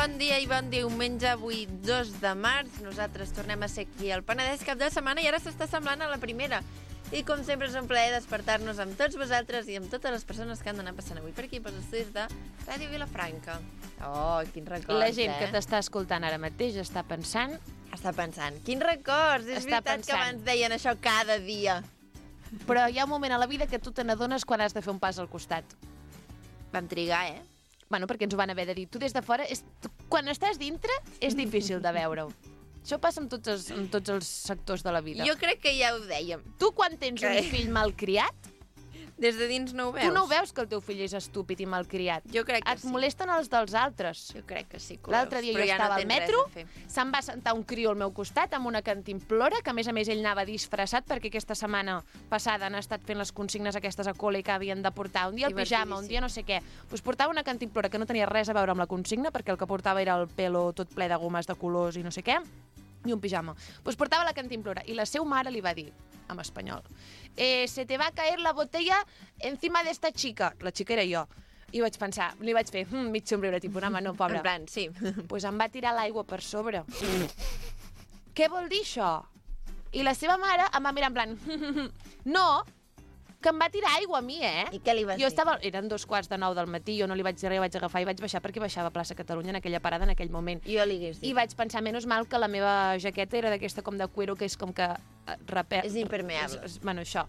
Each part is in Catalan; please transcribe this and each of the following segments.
Bon dia i bon diumenge, avui 2 de març. Nosaltres tornem a ser aquí al Penedès cap de setmana i ara s'està semblant a la primera. I com sempre és un plaer despertar-nos amb tots vosaltres i amb totes les persones que han d'anar passant avui per aquí pels estudis de Ràdio Vilafranca. Oh, quins records, La gent que t'està escoltant ara mateix està pensant... Està pensant, quins records! És veritat que abans deien això cada dia. Però hi ha un moment a la vida que tu te n'adones quan has de fer un pas al costat. Vam trigar, Bueno, perquè ens ho van haver de dir. Tu des de fora, quan estàs dintre, és difícil de veure-ho. Això passa amb tots els sectors de la vida. Jo crec que ja ho dèiem. Tu, quan tens un fill malcriat... Des de dins no ho veus? Tu no ho veus que el teu fill és estúpid i malcriat. Jo crec que sí. Et molesten els dels altres. Jo crec que sí que ho veus. L'altre dia jo estava al metro, se'm va sentar un crió al meu costat amb una cantimplora, que a més ell anava disfressat perquè aquesta setmana passada han estat fent les consignes aquestes a col·le que havien de portar un dia el pijama, un dia no sé què. Doncs portava una cantimplora que no tenia res a veure amb la consigna perquè el que portava era el pelo tot ple de gomes de colors i no sé què, i un pijama. Doncs portava la cantimplora i la seva mare li va dir, en espanyol, se te va a caer la botella encima de esta chica. La xica era jo. I vaig pensar, li vaig fer mig somriure, tipus, no, no, pobra. En plan, sí. Pues em va tirar l'aigua per sobre. Què vol dir això? I la seva mare em va mirar en plan, no, que em va tirar aigua a mi, I què li vas dir? Eren 2:45 del matí, jo no li vaig dir res, vaig agafar i vaig baixar perquè baixava a plaça Catalunya en aquella parada en aquell moment. Jo li hagués dit. I vaig pensar, menys mal que la meva jaqueta era d'aquesta com de cuero, que és com que... És impermeable. Bueno, això.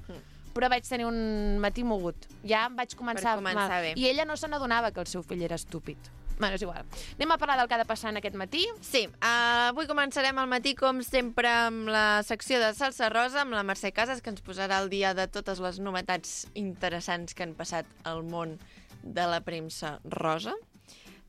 Però vaig tenir un matí mogut. Ja em vaig començar... bé. I ella no se n'adonava que el seu fill era estúpid. Bueno, és igual. Anem a parlar del que ha de passar en aquest matí? Sí, avui començarem al matí, com sempre, amb la secció de Salsa Rosa, amb la Mercè Casas, que ens posarà al dia de totes les novetats interessants que han passat al món de la premsa rosa.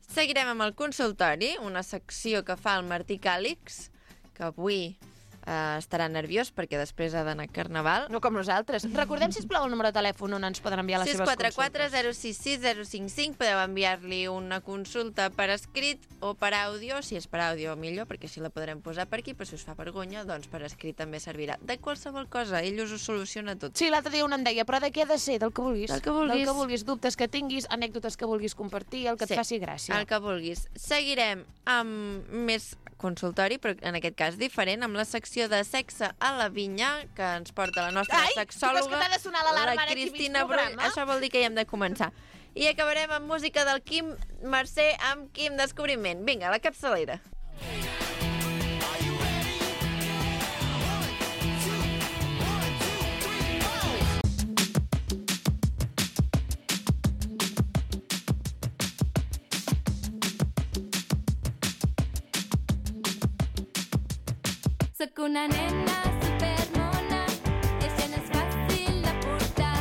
Seguirem amb el consultori, una secció que fa el Martí Càlix, que avui estarà nerviós perquè després ha d'anar a Carnaval. No com nosaltres. Recordem, sisplau, el número de telèfon on ens poden enviar les seves consultes. 644 066 055. Podeu enviar-li una consulta per escrit o per àudio. Si és per àudio, millor, perquè així la podrem posar per aquí, però si us fa vergonya, doncs per escrit també servirà. De qualsevol cosa, ell us ho soluciona tot. Sí, l'altre dia un em deia, però de què ha de ser? Del que vulguis. Del que vulguis. Del que vulguis, dubtes que tinguis, anècdotes que vulguis compartir, el que et faci gràcia. El que vulguis. Seguirem amb més consultori, però en aquest cas diferent, amb la secció de sexe a la vinya, que ens porta la nostra sexòloga, la Cristina Brull. Això vol dir que ja hem de començar. I acabarem amb música del Quim Mercè amb Quim Descobriment. Vinga, la capçalera. Soc una nena supermona i això no és fàcil de portar.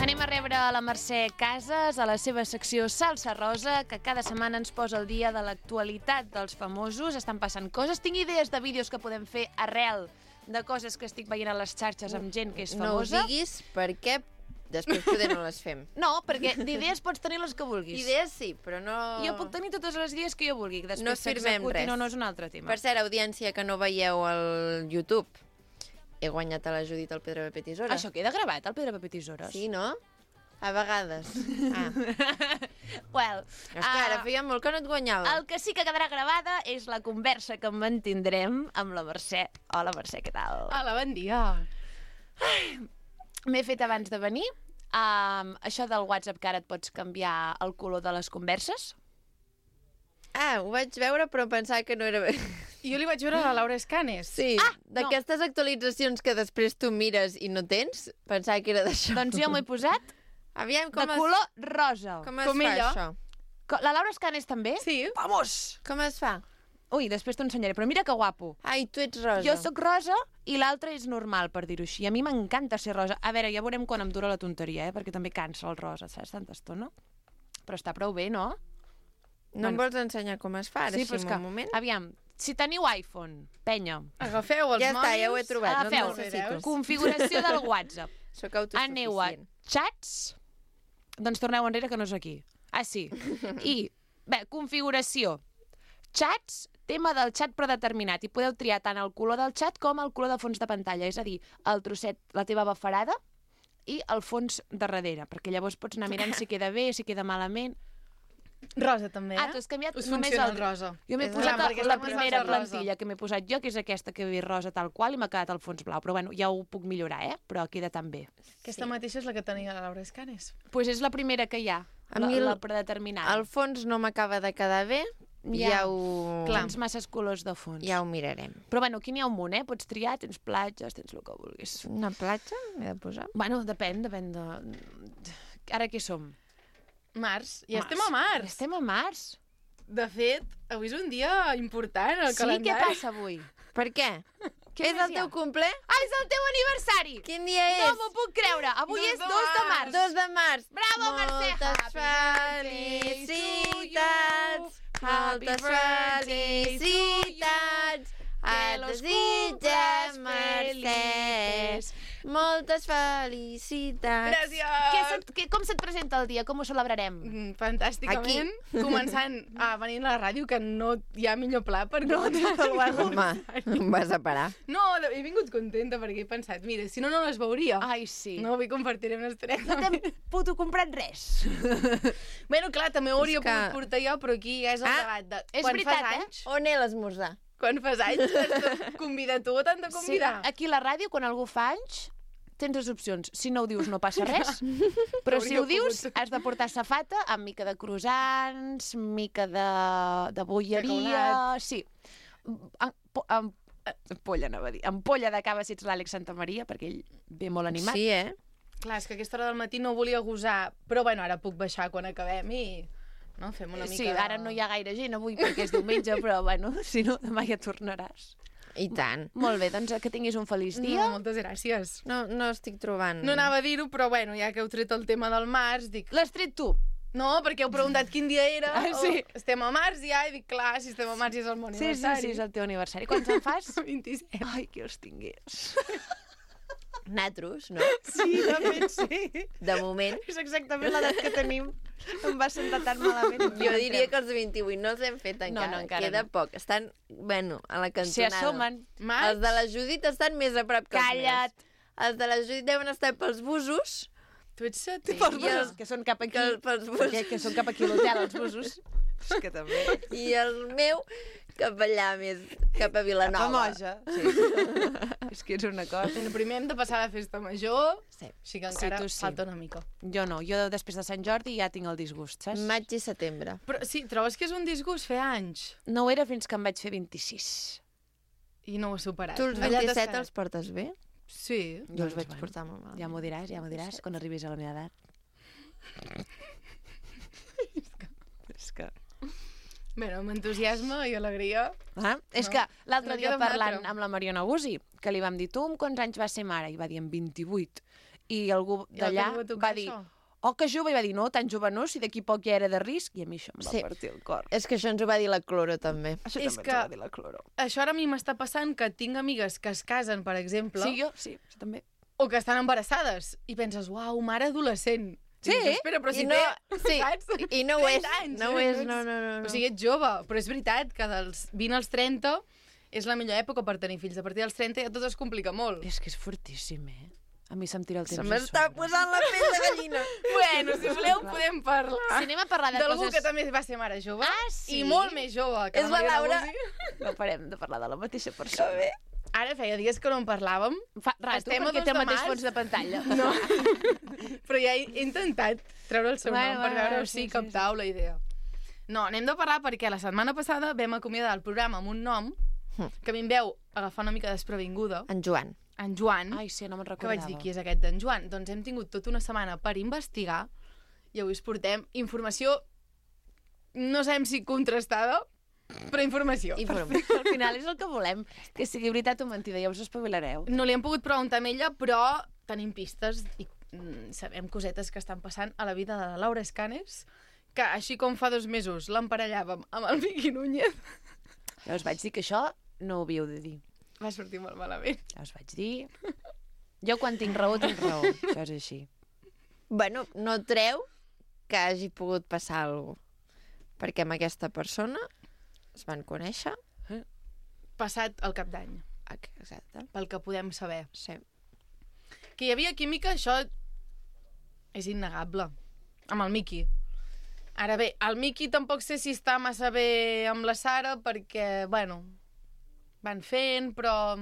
Anem a rebre a la Mercè Casas a la seva secció Salsa Rosa, que cada setmana ens posa el dia de l'actualitat dels famosos. Estan passant coses. Tinc idees de vídeos que podem fer arrel de coses que estic veient a les xarxes amb gent que és famosa. No ho diguis perquè després poder no les fem. No, perquè d'idees pots tenir les que vulguis. Idees sí, però no... Jo puc tenir totes les idees que jo vulgui. Després no firmem res. No és un altre tema. Per cert, audiència que no veieu al YouTube, he guanyat a la Judit al Pedra Paper Tisores. Això queda gravat, al Pedra Paper Tisores? Sí, no? A vegades. Well, és que ara feia molt que no et guanyava. El que sí que quedarà gravada és la conversa que mantindrem amb la Mercè. Hola, Mercè, què tal? Hola, bon dia. M'he fet abans de venir això del WhatsApp, que ara et pots canviar el color de les converses. Ho vaig veure, però pensava que no era bé. Jo li vaig veure a la Laura Escanes. Sí, d'aquestes actualitzacions que després tu mires i no tens, pensava que era d'això. Doncs jo m'ho he posat Aviam, de color rosa. Com es fa això? La Laura Escanes també? Sí. Vamos! Com es fa? Ui, després t'ho ensenyaré, però mira que guapo. Ai, tu ets rosa. Jo sóc rosa i l'altre és normal, per dir-ho així. A mi m'encanta ser rosa. A veure, ja veurem quan em dura la tonteria, perquè també cansa el rosa, saps, tanta estona. Però està prou bé, no? No em vols ensenyar com es fa, ara sí, un moment? Aviam, si teniu iPhone, penya. Agafeu els mòbils. Ja està, ja ho he trobat. Agafeu, no necessito. Configuració del WhatsApp. Soc autosuficient. Aneu a xats, doncs torneu enrere que no és aquí. Ah, sí. I, bé, configuració. Xats, tema del xat predeterminat, i podeu triar tant el color del xat com el color de fons de pantalla, és a dir, el trosset, la teva bafarada i el fons de darrere, perquè llavors pots anar mirant si queda bé, si queda malament. Rosa, també, Ah, tu has canviat Us només funciona el el rosa. Jo m'he És posat clar, perquè la estem primera posant rosa. plantilla que m'he posat jo, que és aquesta que he vist rosa tal qual, i m'ha quedat el fons blau. Però bueno, ja ho puc millorar, però queda tan bé. Aquesta mateixa és la que tenia la Laura Escanes. Pues és la primera que hi ha, A mi la predeterminada. El fons no m'acaba de quedar bé, ja ho... Tens masses colors de fons. Ja ho mirarem. Però bueno, aquí n'hi ha un munt, Pots triar, tens platges, tens el que vulguis. Una platja m'he de posar? Bueno, depèn de... Ara què som? Març. I estem a març. Estem a març. De fet, avui és un dia important al Sí, calendari. què passa avui? Per què? Què És més el hi ha? teu cumple? Ah, és el teu aniversari! Quin dia No és? m'ho puc creure. Avui 2 és de 2 de març. 2 de març. Bravo, Mercè! Moltes Happy felicitats! Happy Moltes birthday to you. felicitats! Que Et los desitja, cumplas Mercè! felices. Moltes felicitats! Gràcies! Com se't presenta el dia? Com ho celebrarem? Fantàsticament. Començant a venir a la ràdio, que no hi ha millor pla per començar el Home, em vas a parar. No, he vingut contenta perquè he pensat, mira, si no, no les veuria. Ai, sí. No, avui compartirem una estoneta. No t'hem puto comprat res. Bueno, clar, també ho hauria És que- pogut portar jo, però aquí ja és el debat de... és quan veritat, fas anys, On he l'esmorzar? Quan fas anys, has de convidar tu o t'han de Sí, convidar? aquí a la ràdio, quan algú fa anys, tens dues opcions. Si no ho dius, no passa res. Però si ho Hauria dius, pogut. has de portar safata amb mica de croissants, mica de bolleria... Cacaulats. Sí. Ampolla, anava a dir. Ampolla de cava si ets l'Àlex Santamaria, perquè ell ve molt animat. Sí, Clar, és que a aquesta hora del matí no volia gosar, però bueno, ara puc baixar quan acabem i... No? Fem una mica Sí, de... ara no hi ha gaire gent avui perquè és diumenge, però bueno, si no, demà ja tornaràs. I tant. Molt bé, doncs que tinguis un feliç dia. No, moltes gràcies. No estic trobant... No anava a dir-ho, però bueno, ja que heu tret el tema del març, dic... L'has tret tu? No, perquè heu preguntat quin dia era. Ah, sí. Estem a març ja, i dic, clar, si estem a març és el meu Sí, aniversari. és el teu aniversari. Quants en fas? 27. Ai, que els tingués. Natros, no? Sí, de fet, sí. De moment. És exactament l'edat que tenim. Em va sentar tan malament. Jo diria que els de 28 no els hem fet encara. No, encara Queda no. poc. Estan, bueno, a la Se cantonada. assomen. Maig? Els de la Judit estan més a prop que Calla't. els meus. Els de la Judit deuen estar pels busos. Tu ets setè. Pels I els- busos, que són cap aquí. pels busos. Que són cap aquí a l'hotel, els busos. És que també. I el meu cap allà més, cap a Vilanova. Moja. Sí. És que és una cosa. Bueno, primer hem de passar la festa major, Sí. així que Sí, encara tu sí. falta una mica. Jo no, jo després de Sant Jordi ja tinc el disgust, saps? Maig i setembre. Però sí, trobes que és un disgust fer anys? No ho era fins que em vaig fer 26. I no ho has superat. Tu els Allà t'has 27 quedat. els portes bé? Sí. Jo els Doncs, vaig bueno, portar molt mal. Ja m'ho diràs, quan arribis a la meva edat. És que... Bueno, amb entusiasme i alegria. Ah, és No. que l'altre No dia queda un parlant altre. amb la Mariona Guzzi, que li vam dir, tu amb quants anys va ser mare? I va dir, amb 28. I algú I d'allà el que tocar va dir, això? oh, que jove, i va dir, no, tan jove no, si d'aquí poc ja era de risc, i a mi això em va Sí. partir el cor. És que això ens ho va dir la Cloro, també. Això És també que- ens ho va dir la Cloro. Això ara a mi m'està passant que tinc amigues que es casen, per exemple, Sí, jo, sí, això també. o que estan embarassades, i penses, uau, mare adolescent. Sí? I dius, espera, però si I no, té, sí, saps? i no ho és. 30 anys, No ho eh? és, no. O sigui, ets jove, però és veritat que dels 20 als 30 és la millor època per tenir fills. A partir dels 30 ja tot es complica molt. És que és fortíssim, A mi se'm tira el temps Se a m'està sobre. posant la pell de gallina. Bueno, si voleu podem parlar Si anem a parlar de d'algú coses... que també va ser mare jove Ah, sí? i molt més jove que És la Laura. Guzzi. No parem de parlar de la mateixa persona. bé. Ara feia dies que no en parlàvem, Fa rato, Estem a perquè 2 té el de mateix març. fons de pantalla. no? però ja he intentat treure el seu Bueno, nom per bueno, veure sí, si captau la idea. No, anem de parlar perquè la setmana passada vam acomiadar el programa amb un nom que a mi em veu agafar una mica desprevinguda, En Joan. en Joan, Ai, sí, no me'n que recordava. vaig dir, qui és aquest d'en Joan? Doncs hem tingut tota una setmana per investigar i avui us portem informació, no sabem si contrastada, però informació. Al final és el que volem, que sigui veritat o mentida, ja us espavilareu. No li hem pogut preguntar a ella, però tenim pistes i sabem cosetes que estan passant a la vida de la Laura Escanes, que així com fa 2 mesos l'emparellàvem amb el Miqui Núñez, Ja us vaig dir que això no ho havíeu de dir. va sortir molt malament. Ja us vaig dir. Jo quan tinc raó, tinc raó. Això és així. Bueno, no treu que hagi pogut passar alguna cosa. Perquè amb aquesta persona es van conèixer. Passat el cap d'any, Exacte. pel que podem saber. Sí. Que hi havia química, això és innegable. Amb el Miqui. Ara bé, el Miqui tampoc sé si està massa bé amb la Sara perquè, bueno, van fent, però...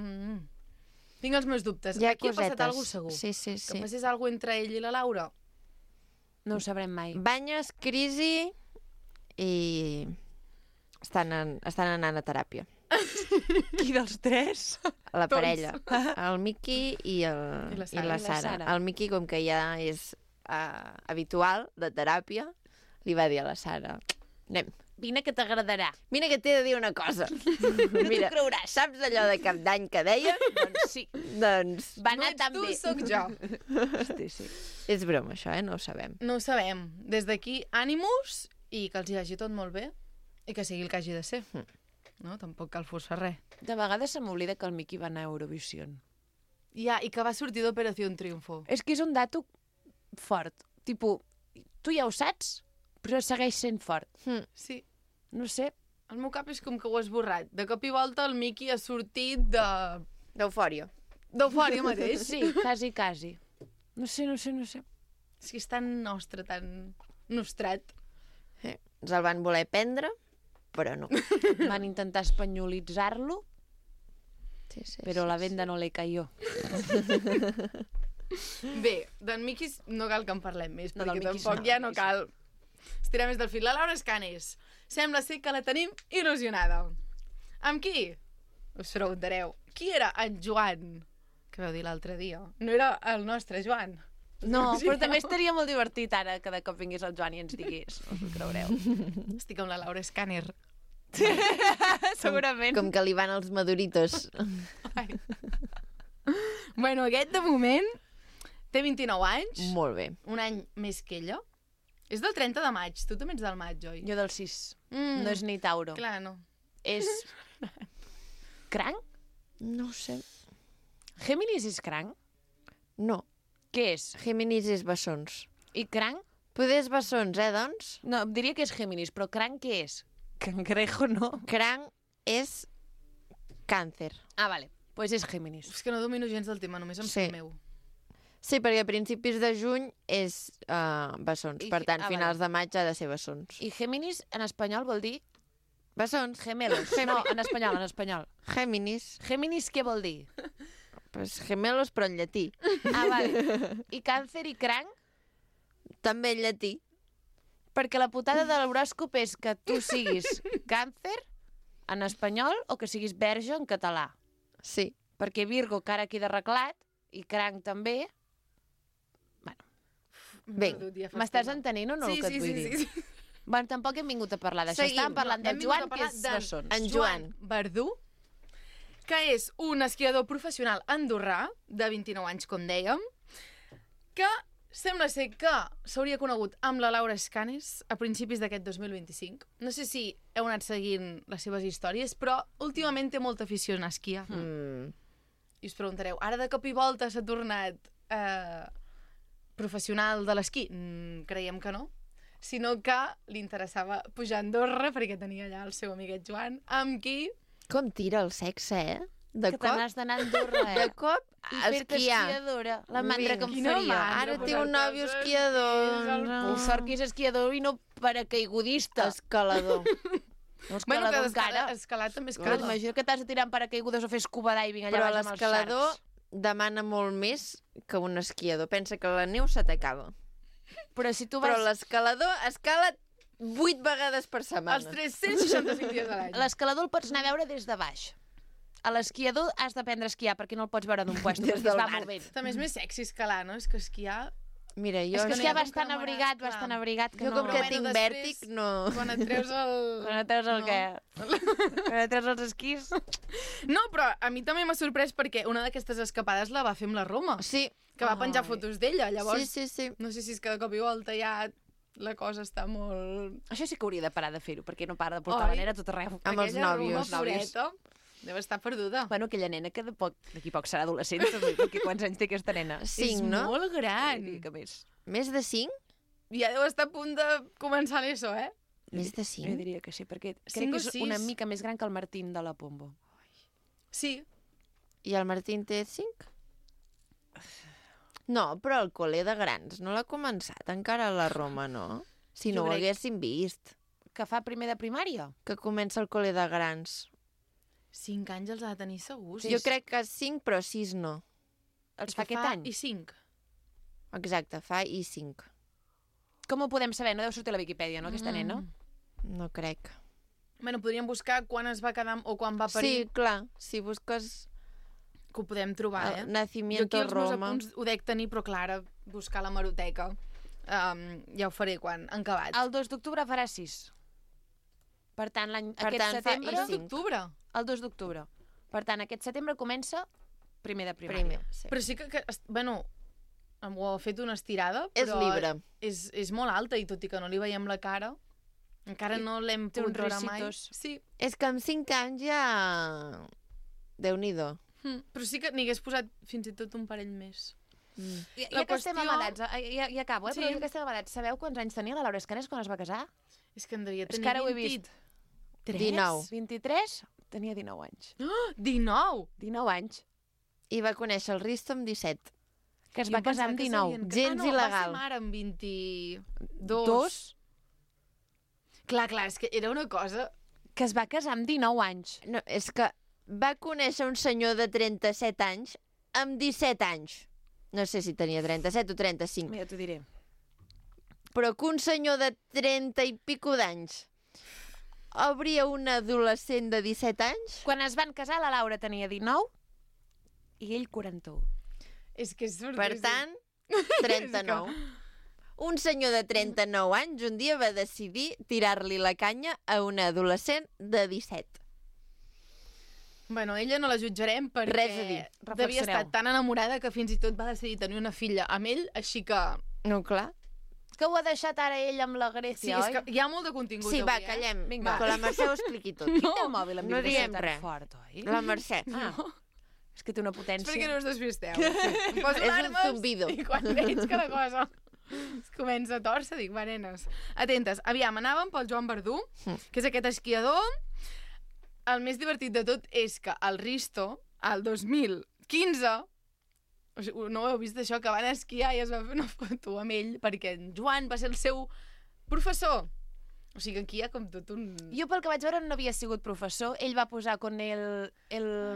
tinc els meus dubtes. Hi ha Aquí cosetes. ha passat alguna cosa segur. Sí. Que passés alguna cosa entre ell i la Laura. No ho sabrem mai. Banyes, crisi i estan anant a teràpia. Qui dels tres? La Tots. parella. El Miqui i la Sara. la Sara. El Miqui, com que ja és habitual de teràpia, li va dir a la Sara, anem. Vine que t'agradarà. Mira que t'he de dir una cosa. Mira, creuràs. saps allò de cap d'any que deia? Doncs sí. Doncs Va No anar ets tan tu, bé. sóc jo. Sí. és broma, això, no ho sabem. No ho sabem. Des d'aquí, ànimus i que els hi hagi tot molt bé i que sigui el que hagi de ser. No? Tampoc cal forçar res. De vegades se m'oblida que el Miqui va anar a Eurovision. Ja, i que va sortir d'Operació Triunfo. És que és un dato fort. Tipo, tu ja ho saps, però segueix sent fort. Sí. No sé. El meu cap és com que ho has esborrat. De cop i volta el Miqui ha sortit de... D'eufòria. d'eufòria mateix. Sí, quasi. No sé. És que és tan nostre, tan nostrat. Ens el van voler prendre, però no. Van intentar espanyolitzar-lo, Sí, però la venda no le cayó. Bé, d'en Miqui no cal que en parlem més, No, perquè del Miqui tampoc no, ja del no Miqui cal estirar més del fil. La Laura Escanes. Sembla ser que la tenim il·lusionada. Amb qui? Us preguntareu. Qui era en Joan? Que vau dir l'altre dia. No era el nostre Joan. No, però també estaria molt divertit ara que de cop vingués el Joan i ens digués. No us ho creureu. Estic amb la Laura Escaner. Segurament. Com que li van els maduritos. Bueno, aquest de moment té 29 anys, Molt bé. un any més que ella. És del 30 de maig. Tu també ets del maig, oi? Jo del 6. No és ni Tauro. Clar, no. És... Cranc? No ho sé. Géminis és cranc? No. Què és? Géminis és bessons. I cranc? Poder és bessons, doncs? No, diria que és Géminis, però cranc què és? Cangrejo no. Cranc és càncer. Ah, vale. Pues és Géminis. És que no domino gens del tema, només em Sí. sé el meu. Sí, perquè a principis de juny és bessons. I- Per tant, ah, finals de maig ha de ser bessons. I Géminis en espanyol vol dir Bessons. gemelos. No, en espanyol. Géminis. Géminis què vol dir? Pues gemelos, però en llatí. Ah, vale. I càncer i cranc? També en llatí. Perquè la putada de l'horòscop és que tu siguis càncer en espanyol o que siguis verge en català. Sí. Perquè Virgo, cara aquí d'arreglat, i cranc també. Vinga. Perdut ja fa M'estàs estona. entenent o no Sí, el que sí, et vull sí, dir? sí, sí. Bueno, tampoc hem vingut a parlar d'això. Seguim. Estàvem parlant Hem del vingut Joan, a que parlar és d'en bessons. En Joan. Verdú, que és un esquiador professional andorrà, de 29 anys, com dèiem, que sembla ser que s'hauria conegut amb la Laura Escanes a principis d'aquest 2025. No sé si heu anat seguint les seves històries, però últimament té molta afició a esquiar. I us preguntareu, ara de cop i volta s'ha tornat professional de l'esquí? Creiem que no. Sinó que li interessava pujar a Andorra perquè tenia allà el seu amiguet Joan, amb qui... Com tira el sexe, eh? De Que te cop, n'has d'anar a Andorra, de eh? cop, I fer-te esquiar. esquiadora. La mandra que em Quina faria. mandra. Ara té posar-te un nòvio els esquiador. esquís al No. I sort que és esquiador i no paracaigudista. Escalador. No, Bueno, escalador que encara. escalar també és Però car. t'imagino que t'has de tirar en paracaigudes o fer scuba diving allà Però baix amb els l'escalador sharks. demana molt més que un esquiador. Pensa que la neu se t'acaba. Però si tu vas... Però l'escalador escala 8 vegades per setmana. Els 365 dies a l'any. L'escalador el pots anar a veure des de baix. A l'esquiador has d'aprendre a esquiar perquè no el pots veure d'un puesto, Des perquè es del va mar. movent. També és més sexy escalar, no? És que esquiar... Mira, jo, És que no hi esquiar ha com bastant càmera, abrigat, clar. bastant abrigat, que jo no... com que Bueno, tinc després, vèrtic, no... Quan et treus el... Quan et treus el No. què? Quan et treus els esquís? No, però a mi també m'ha sorprès perquè una d'aquestes escapades la va fer amb la Roma, Sí. que va penjar Ai. fotos d'ella. Llavors, Sí, sí, sí. no sé si és que de cop i volta ja la cosa està molt... Això sí que hauria de parar de fer-ho, perquè no para de portar Oi? la nena a tot arreu. Amb els Aquella nòvios. Roma, pobreta, deu estar perduda. Bueno, aquella nena que d'aquí poc serà adolescent, també, perquè quants anys té aquesta nena? 5, és no? molt gran. Diria que més. Més de 5? Ja deu estar a punt de començar l'ESO, eh? Més de Jo 5? diria que sí, perquè crec Cinc que o és sis. una mica més gran que el Martín de la Pombo. Sí. I el Martín té 5? No, però el col·le de grans no l'ha començat encara a la Roma, no? Si no ho haguéssim vist. Que fa primer de primària? Que comença el col·le de grans. 5 anys els ha de tenir segurs. Jo crec que 5, però 6 no. Els fa aquest any? I 5. Exacte, fa i 5. Com ho podem saber? No deu sortir a la Viquipèdia, no, aquesta nena? No crec. Bueno, podríem buscar quan es va quedar o quan va parir. Sí, clar, si busques Que ho podem trobar, Nacimiento Jo aquí els Roma. meus apunts ho dec tenir, però clar, ara buscar la hemeroteca ja ho faré quan han acabat. El 2 d'octubre farà 6. Per tant, aquest tant, fa setembre... I El 2 d'octubre. El 2 d'octubre. Per tant, aquest setembre comença primer de primària. Sí. Però sí que bueno, ho ha fet una estirada, És però libre. és molt alta, i tot i que no li veiem la cara, encara no l'hem té pogut uns veure mai. rissitos. Sí. És que amb 5 anys ja... Déu-n'hi-do. Però sí que n'hi hagués posat fins i tot un parell més. Ja que estem amadats, ja acabo, Sí. però ja que estem amadats, sabeu quants anys tenia la Laura Escanes quan es va casar? És que en devia És tenir que ara ho he vist. 19. 23? Tenia 19 anys. 19! 19 anys. I va conèixer el Risto amb 17. Que es va casar amb 19. Gens il·legal. Va ser mare amb 22. Dos? Clar, és que era una cosa... Que es va casar amb 19 anys. No, és que va conèixer un senyor de 37 anys amb 17 anys. No sé si tenia 37 o 35. Mira, t'ho diré. Però que un senyor de 30 i pico d'anys hauria un adolescent de 17 anys? Quan es van casar, la Laura tenia 19 i ell 41. És que és sorpresa. Per tant, 39. Un senyor de 39 anys un dia va decidir tirar-li la canya a una adolescent de 17. Bueno, ella no la jutjarem perquè Res a dir. devia estar Reflexioneu. tan enamorada que fins i tot va decidir tenir una filla amb ell, així que... No, clar. Que ho ha deixat ara ell amb la Sí, Grècia, és oi? que hi ha molt de contingut Sí, avui, va, callem. Vinga. Que la Mercè ho expliqui tot. Qui té el mòbil amb No vibració diem tan res. fort, oi? La Mercè. Ah, és que té una potència. És perquè no us despisteu. Em poso És un alarmes zumbido. i quan veig que la cosa es comença a tòrcer, dic, va, nenes, atentes. Aviam, anàvem pel Joan Verdú, que és aquest esquiador. El més divertit de tot és que el Risto, el 2015, o sigui, no ho heu vist això, que van esquiar i es va fer una foto amb ell perquè en Joan va ser el seu professor. O sigui, aquí hi ha com tot un... Jo pel que vaig veure no havia sigut professor, ell va posar con el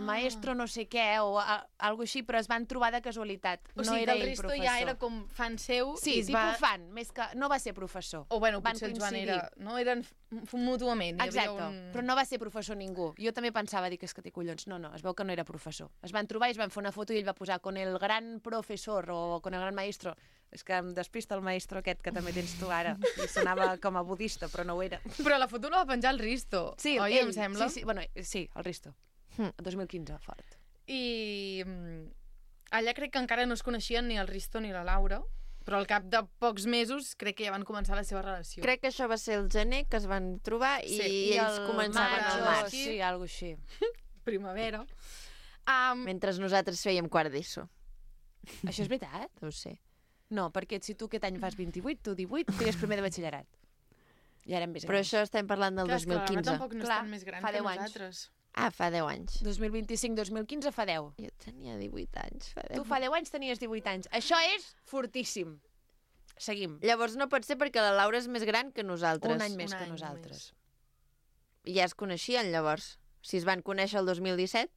maestro no sé què o algo així, però es van trobar de casualitat. O no sigui, era que el ell Risto professor. ja era com fan seu Sí, i es tipus va... fan, més que no va ser professor. O bueno, Van potser el Joan coincidir. era... No, eren mútuament. Hi Exacte, havia un... però no va ser professor ningú. Jo també pensava, dic, és que té collons. No, es veu que no era professor. Es van trobar i es van fer una foto i ell va posar con el gran professor o con el gran maestro. És que em despista el maestro aquest que també tens tu ara. I sonava com a budista, però no ho era. Però la foto la va penjar el Risto, Sí, oi, ell, em sembla? Sí, bueno, sí, el Risto. El 2015, fort. I allà crec que encara no es coneixien ni el Risto ni la Laura, però al cap de pocs mesos crec que ja van començar la seva relació. Crec que això va ser el gener que es van trobar i Sí, I ells el començaven maig, al o març, Sí, algo així. Primavera. mentre nosaltres fèiem quart d'ESO. Això és veritat? No ho sé. No, perquè si tu aquest any fas 28, tu 18, tenies primer de batxillerat. I ara més Però grans. això estem parlant del Clar, és que la Laura 2015. tampoc no és Clar, tan més gran fa que 10 anys. nosaltres. Ah, fa 10 anys. 2025-2015 fa 10. Jo tenia 18 anys. Fa 10. Tu fa 10 anys tenies 18 anys. Això és fortíssim. Seguim. Llavors no pot ser perquè la Laura és més gran que nosaltres. Un any més Un que any nosaltres. I ja es coneixien, llavors. Si es van conèixer el 2017,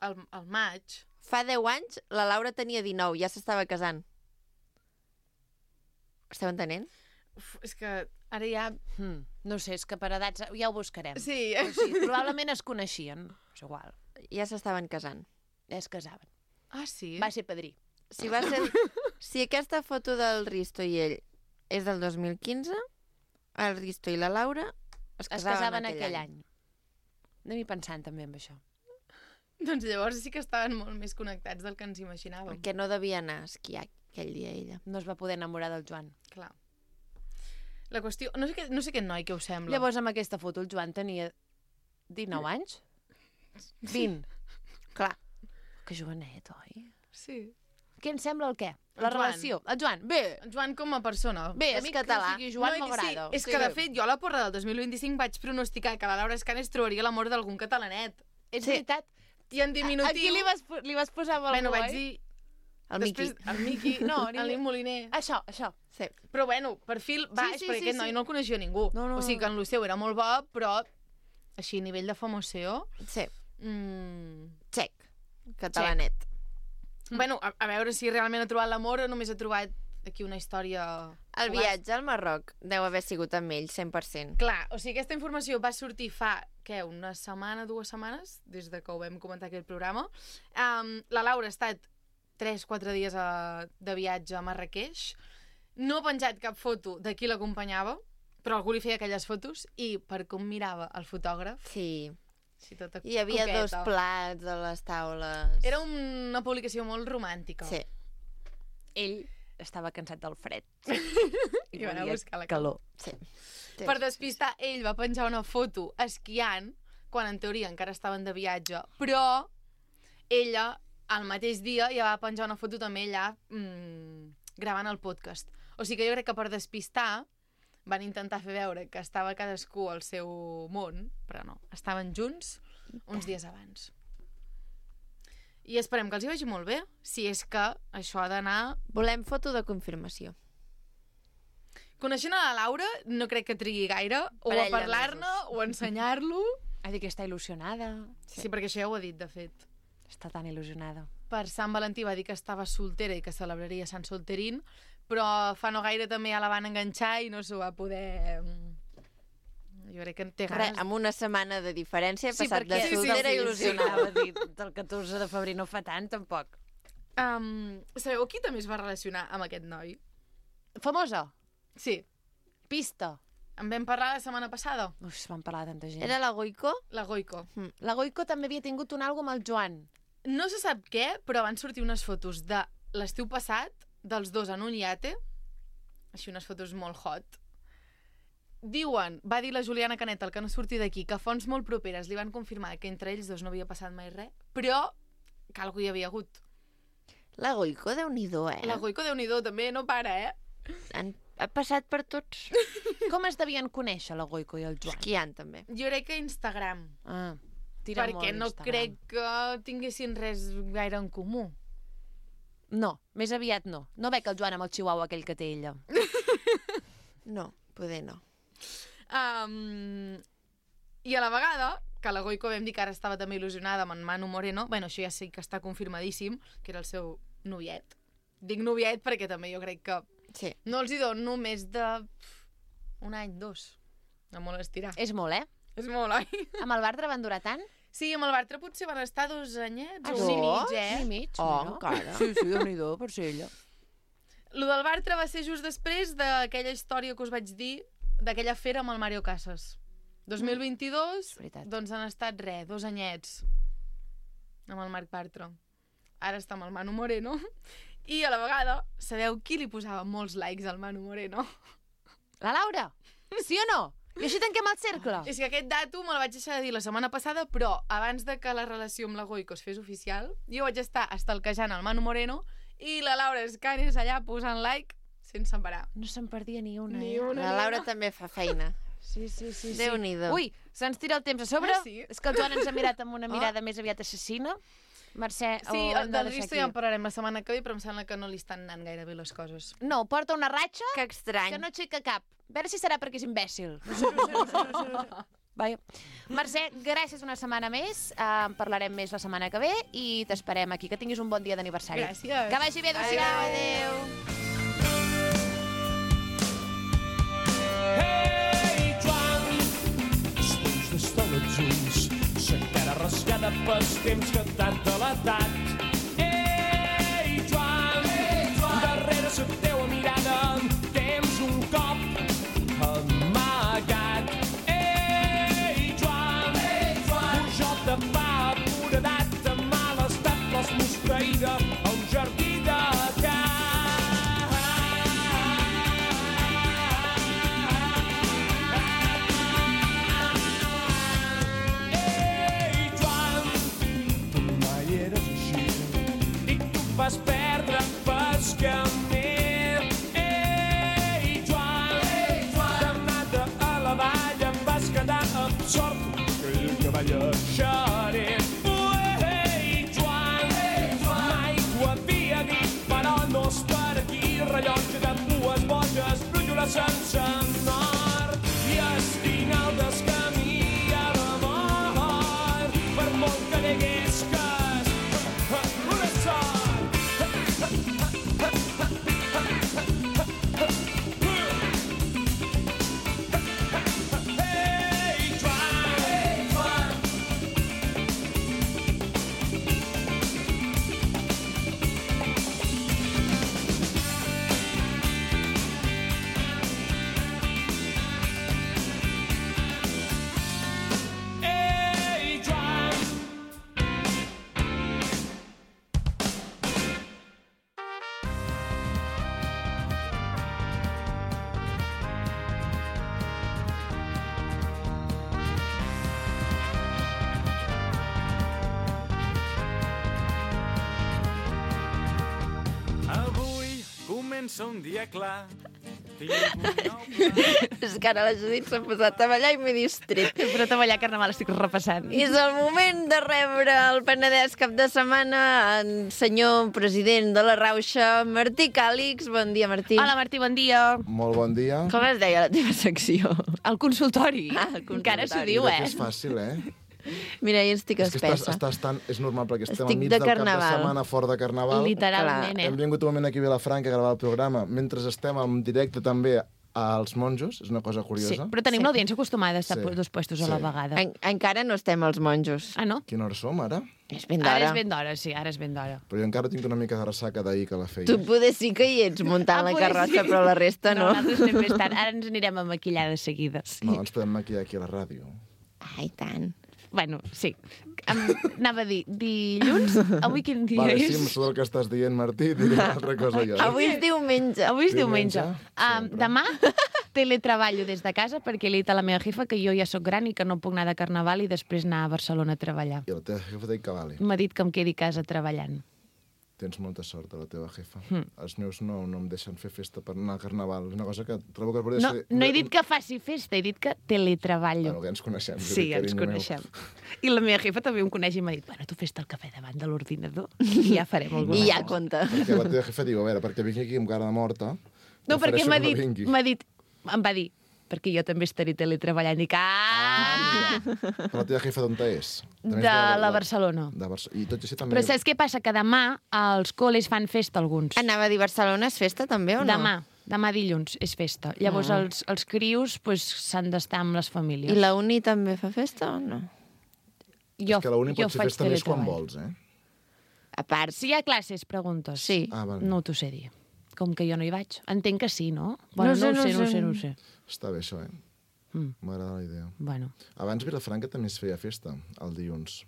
Al maig. fa 10 anys la Laura tenia 19, ja s'estava casant. Esteu entenent? Uf, és que ara ja... No sé, és que per edats ja ho buscarem. Sí. O sigui, probablement es coneixien. És igual. Ja s'estaven casant. Es casaven. Ah, sí? Va ser padrí. Si, va ser... si aquesta foto del Risto i ell és del 2015, el Risto i la Laura es casaven aquell any. Anem-hi pensant també amb això. Doncs llavors sí que estaven molt més connectats del que ens imaginàvem. Perquè no devia anar a esquiar aquell dia ella. No es va poder enamorar del Joan. Clar. La qüestió... No sé aquest noi què us sembla. Llavors, amb aquesta foto, el Joan tenia 19 anys? 20. Clar. Que jovenet, oi? Sí. Què ens sembla el què? El La Joan. relació. El Joan, bé. El Joan com a persona. Bé, a És mi català. que sigui Joan No, m'agrada. sí, és que, de fet, jo a la porra del 2025 vaig pronosticar que la Laura Escanes trobaria l'amor d'algun catalanet. És Sí. veritat. I en diminutiu... Aquí li vas posar amb el Bueno, bo, vaig oi? dir... El Miqui. El Miqui, no, el Moliner. Això. Sí. Però bueno, perfil baix, perquè aquest noi no el coneixia ningú. No. O sigui que en Luceu era molt bo, però així, a nivell de famoseo... Sí. Check. Catalanet. Bueno, a veure si realment ha trobat l'amor o només ha trobat aquí una història... El viatge al Marroc deu haver sigut amb ell, 100%. Clar, o sigui, aquesta informació va sortir fa, una setmana, 2 setmanes, des de que ho vam comentar aquest programa. La Laura ha estat 3-4 dies de viatge a Marrakeix. No ha penjat cap foto de qui l'acompanyava, però algú li feia aquelles fotos i per com mirava el fotògraf... Sí. Tota hi havia coqueta. 2 plats a les taules. Era una publicació molt romàntica. Sí. Ell estava cansat del fred. I va anar a buscar la calor. Sí. Per despistar, ell va penjar una foto esquiant, quan en teoria encara estaven de viatge, però ella, al mateix dia, ja va penjar una foto també allà gravant el podcast. O sigui que jo crec que per despistar van intentar fer veure que estava cadascú al seu món, però no, estaven junts uns dies abans. I esperem que els hi vagi molt bé, si és que això ha d'anar... Volem foto de confirmació. Coneixent a la Laura, no crec que trigui gaire o a parlar-ne o a ensenyar-lo. Ha dit que està il·lusionada. Sí, perquè això ja ho ha dit, de fet. Està tan il·lusionada. Per Sant Valentí va dir que estava soltera i que celebraria Sant Solterín, però fa no gaire també ja la van enganxar i no s'ho va poder... Jo crec que té ganes... Amb una setmana de diferència he passat de perquè soltera a il·lusionada. Del 14 de febrer no fa tant, tampoc. Sabeu qui també es va relacionar amb aquest noi? Famosa? Sí. Pista? En vam parlar la setmana passada. Uf, van parlar de tanta gent. Era la Goico? La Goico. La Goico també havia tingut un àlbum amb el Joan. No se sap què, però van sortir unes fotos de l'estiu passat, dels dos en un iate, així unes fotos molt hot. Diuen, va dir la Juliana Canet, el que no surti d'aquí, que fonts molt properes li van confirmar que entre ells dos no havia passat mai res, però que algú hi havia hagut. La Goico, Déu-n'hi-do, La Goico, Déu-n'hi-do, també no para, Ha passat per tots. Com es devien conèixer la Goico i el Joan? Esquiant, també. Jo crec que Instagram. Tira perquè molt no Instagram. crec que tinguessin res gaire en comú. No, més aviat no. No veig el Joan amb el chihuahua aquell que té ella. No, poder no. I a la vegada, que la Goico vam dir que ara estava també il·lusionada amb en Manu Moreno, bueno, això ja sí que està confirmadíssim, que era el seu noviet. Dic noviet perquè també jo crec que no els hi dono més de un any, 2. No molt estirar. És molt, És molt, oi? Amb el Bartra van durar tant? Sí, amb el Bartra potser van estar 2 anyets o sí? un i mig, Un i mig, encara. Sí, Déu-n'hi-do, per ser ella. Lo del Bartra va ser just després d'aquella història que us vaig dir, d'aquella fera amb el Mario Casas. 2022, doncs han estat 2 anyets amb el Marc Bartra. Ara està amb el Manu Moreno. I a la vegada, sabeu qui li posava molts likes al Manu Moreno? La Laura? Sí o no? I així tanquem el cercle. És que aquest dato me'l vaig deixar de dir la setmana passada, però abans de que la relació amb la Goico es fes oficial, jo vaig estar estalquejant el Manu Moreno i la Laura Escanes allà posant like sense parar. No se'n perdia ni una. La Laura també fa feina. Sí. Déu-n'hi-do. Ui, se'ns tira el temps a sobre. Sí. És que el Joan ens ha mirat amb una mirada més aviat assassina. Mercè, sí, del Risto ja en parlarem la setmana que ve, però em sembla que no li estan anant gaire bé les coses. No, porta una ratxa que estrany. Que no aixeca cap. A veure si serà perquè és imbècil. Vaja. Mercè, gràcies una setmana més. En parlarem més la setmana que ve i t'esperem aquí. Que tinguis un bon dia d'aniversari. Gràcies. Que vagi bé, adéu-siau. Adéu. Hey, Joan, després d'estar els ulls, s'encara rasgada pels temps que t'han delatat. Ei, Joan, darrere la teua mirada tens un cop amagat. Ei, Joan, pujol de pa, aporedat, de mal estat, l'has mosqueïda a un jardí de camp. Vas perdre pas camí. Ei, Joan, d'anada a la vall em vas quedar absort aquell cavall eixerit. Ei, Joan, mai comença un dia clar. Tinc un nou pla. És que ara la Judit s'ha posat a ballar i m'he distret. Però a ballar carnaval estic repassant. I és el moment de rebre el Penedès cap de setmana en senyor president de la Rauxa, Martí Càlix. Bon dia, Martí. Hola, Martí, bon dia. Molt bon dia. Com es deia la teva secció? El consultori. Ah, el consultori. Encara s'ho diu, Mira que és fàcil, Mira, jo estic És que espessa. és normal, perquè estem Estic al mig de del cap de carnaval. setmana fora de carnaval. Literalment, Hem vingut un moment aquí a Vilafranca a gravar el programa, mentre estem en directe també als monjos, és una cosa curiosa. Sí, però tenim l'audiència acostumada a estar Sí. dos puestos a la Sí. vegada. Encara no estem als monjos. Ah, no? Quina hora som, ara? És ben Ara d'hora. és ben d'hora, sí, ara és ben d'hora. Però jo encara tinc una mica de ressaca d'ahir que la feia. Tu poder sí que hi ets muntant la poder carrossa, sí. però la resta no. Nosaltres anem més tard. Ara ens anirem a maquillar de seguida. Sí. No, ens podem maquillar aquí a la ràdio. Ai, tant. Bueno, sí. Anava a dir, dilluns? Avui quin dia Vale, és? sí, amb tot el que estàs dient, Martí, diré una altra cosa jo. Avui és diumenge. Avui és Diumenge, diumenge. sempre. Demà teletreballo des de casa perquè li he dit a la meva jefa que jo ja sóc gran i que no puc anar de carnaval i després anar a Barcelona a treballar. I la teva jefa t'ha dit que vale. M'ha dit que em quedi a casa treballant. Tens molta sort, la teva jefa. Els meus no em deixen fer festa per anar al carnaval. És una cosa que trobo que podria No, ser... no he dit que faci festa, he dit que teletreballo. Bueno, que ens coneixem. Sí, ens coneixem. I la meva jefa també em coneix i m'ha dit, bueno, tu fes-te el cafè davant de l'ordinador i ja farem alguna I ja cosa. compta. Perquè la teva jefa diu, a veure, perquè vingui aquí amb cara de morta... No, perquè prefereixo que no vingui. em va dir, perquè jo també estaré teletreballant. I dic, Però la teva jefa d'on és? També és de la Barcelona. I tot i així també... Però saps què passa? Que demà els col·les fan festa, alguns. Anava a dir Barcelona és festa també o no? Demà dilluns és festa. Llavors els crios s'han d'estar amb les famílies. I la uni també fa festa o no? Jo, És que la uni jo pot fer faig festa més quan teletreball. vols, A part, Si hi ha classes, preguntes. Sí. Ah, vale. No t'ho sé dir. Com que jo no hi vaig. Entenc que sí, no? No No sé. ho sé. Està bé, això, M'agrada la idea. Bueno. Abans Vilafranca també es feia festa, el dilluns.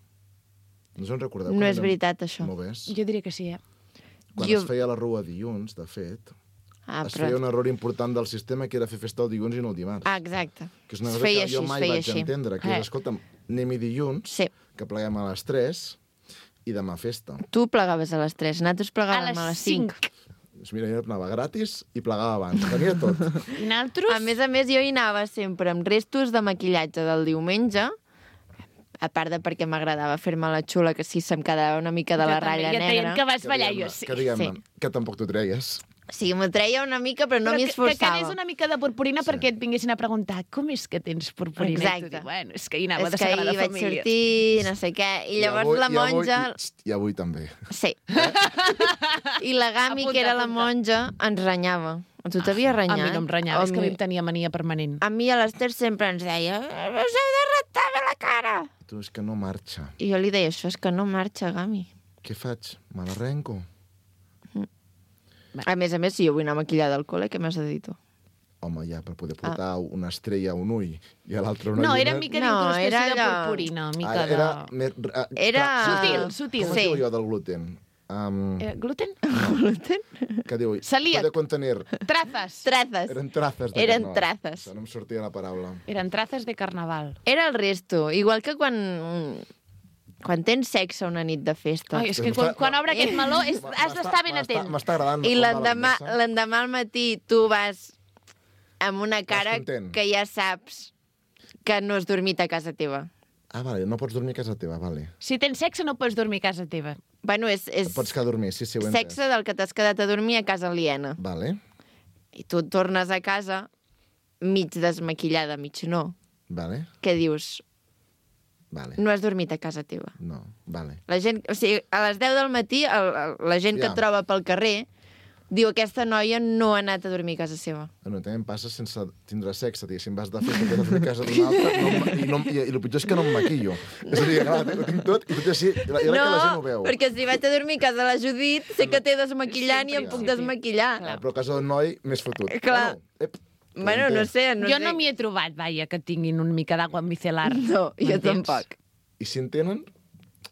No us en recordeu? No quan és érem veritat, això. Noves? Jo diria que sí, Quan Jo- es feia la rua dilluns, de fet, es però... feia un error important del sistema, que era fer festa el dilluns i no el dimarts. Exacte. Que és una Es cosa feia que jo així, mai es feia vaig així. entendre, que és, escolta'm, anem-hi dilluns, Sí. que pleguem a les 3 i demà festa. Tu plegaves a les 3, nosaltres plegàvem a les 5. Doncs mira, jo anava gratis i plegava abans, tenia tot. I nosaltres... A més, jo hi anava sempre amb restos de maquillatge del diumenge, a part de perquè m'agradava fer-me la xula, que sí se'm quedava una mica de la ratlla Ja et deien negra. que vas ballar, jo sí. Que diguem-ne, sí. que tampoc t'ho treies. Sí, m'ho treia una mica, però no m'hi Que esforçava. quedés una mica de purpurina perquè et vinguessin a preguntar com és que tens purpurina? I tu Exacte. dius, bueno, és que hi anava És de que Sagrada ahir vaig Família. sortir, no sé què, i llavors la monja... I avui també. Sí. I la Gami, Apunta, que era la apunta. monja, ens renyava. A tu t'havia renyat? A mi no em renyava, és que a mi em tenia mania permanent. A mi a l'Ester sempre ens deia us heu de rentar bé la cara. Tu, és que no marxa. I jo li deia, això és que no marxa, Gami. Què faig? Me l'arrenco? A més, si jo vull anar maquillada al col·le, què m'has de dir tu? Home, ja, per poder portar una estrella a un ull i a l'altre una No, lluna... era mica No, d'incrustació era de allò- purpurina, mica de... Era... Més, Era... Sutil. Com es Sí. diu allò del gluten? Gluten? Que diu... Celíac. Puede contenir... Trazas. Trazes. Eren trazes. Eren no, trazes. No em sortia la paraula. Eren trazas de carnaval. Era el resto. Igual que quan tens sexe una nit de festa. Ai, és que quan obre aquest meló has d'estar ben atent. M'està agradant. I recordar la l'endemà al matí tu vas amb una cara content. que ja saps que no has dormit a casa teva. Ah, vale, no pots dormir a casa teva, vale. Si tens sexe no pots dormir a casa teva. Bueno, és Pots quedar a dormir, sí, ho he entès. sexe del que t'has quedat a dormir a casa aliena. Vale, I tu tornes a casa mig desmaquillada, mig no. vale, Què dius? vale. No has dormit a casa teva. No, vale. La gent, o sigui, a les 10 del matí, la gent que Ja. et troba pel carrer diu aquesta noia no ha anat a dormir a casa seva. Bueno, també em passa sense tindre sexe, diguéssim, vas de festa, t'has de dormir a casa d'una altra, i el pitjor és que no em maquillo. És a dir, clar, ho tinc tot, i tot així, i la gent ho veu. perquè si vaig a dormir a casa de la Judit, sé que t'he desmaquillant i em puc desmaquillar. Però a casa d'un noi, més fotut. Clar. Bueno, no sé, no Jo sé. no m'hi he trobat, vaja, que tinguin una mica d'aigua micelar. No, jo M'entens? tampoc. I si en tenen,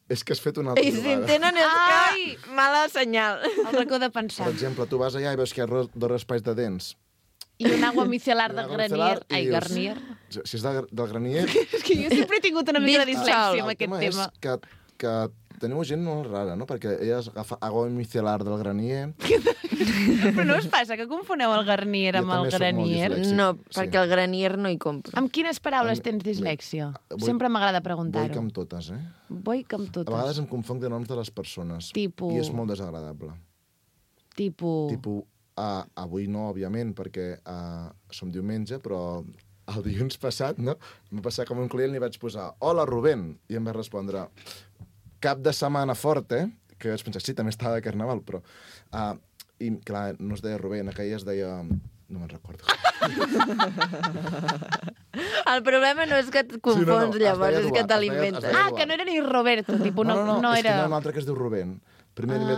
és que has fet una altra I si en tenen és Ai! que mala senyal. El racó de pensar. Per exemple, tu vas allà i veus que hi ha dos espais de dents. I un agua micelar I de una granier. micelar, i Ai, dius, garnier. Si és del granier... És que jo sempre he tingut una mica de dislèxia amb El aquest tema tema. és que teniu gent molt rara, no? Perquè ella agafa agua micelar del granier. Però no us passa que confoneu el Garnier amb el Granier? No, perquè el Granier no hi compro. Amb quines paraules tens dislèxia? Sempre m'agrada preguntar-ho. Boic amb totes, Boic amb A totes. vegades em confonc de noms de les persones. Tipus... I és molt desagradable. Tipus... Avui no, òbviament, perquè som diumenge, però el dilluns passat, no? Em va passar com un client i li vaig posar «Hola, Rubén!» I em va respondre «Cap de setmana fort, eh?» Que vaig pensar, sí, també estava de carnaval, però... I, clar, no es deia Rubén, aquella es deia... No me'n recordo. El problema no és que et confons, llavors, és que te l'inventes. Que no era ni Roberto, tipus, no és que era... hi ha un altre que es diu Rubén. Primer li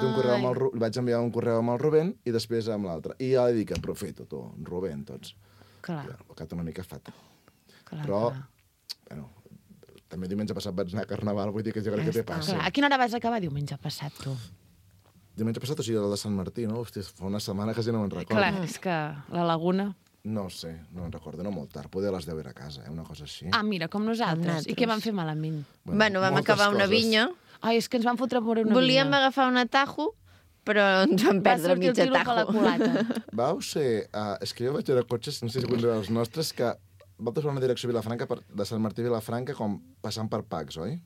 vaig enviar un correu amb el Rubén i després amb l'altre. I ja li dic, aprofito, tu, Rubén, tots. Clar. Ho quedat una mica fatal. Però, bueno, també diumenge passat vaig anar a Carnaval, vull dir que jo crec que té passa. A quina hora vas acabar diumenge passat, tu? Diumenge passat, o sigui, el de Sant Martí, no? Hòstia, fa una setmana que ja no me'n recordo. Clar, és que la Laguna... No sé, no me'n recordo, no molt tard. Poder a les 10 era a casa, una cosa així. Mira, com nosaltres. I què vam fer malament? Bueno, vam acabar una vinya. Ai, és que ens van fotre per una vinya. Volíem agafar un atajo, però ens vam perdre mig atajo. La culata. Vau ser... és que jo vaig veure cotxes, no sé si considereu els nostres, que vau fer una direcció a Vilafranca, de Sant Martí a Vilafranca, com passant per Pacs, oi?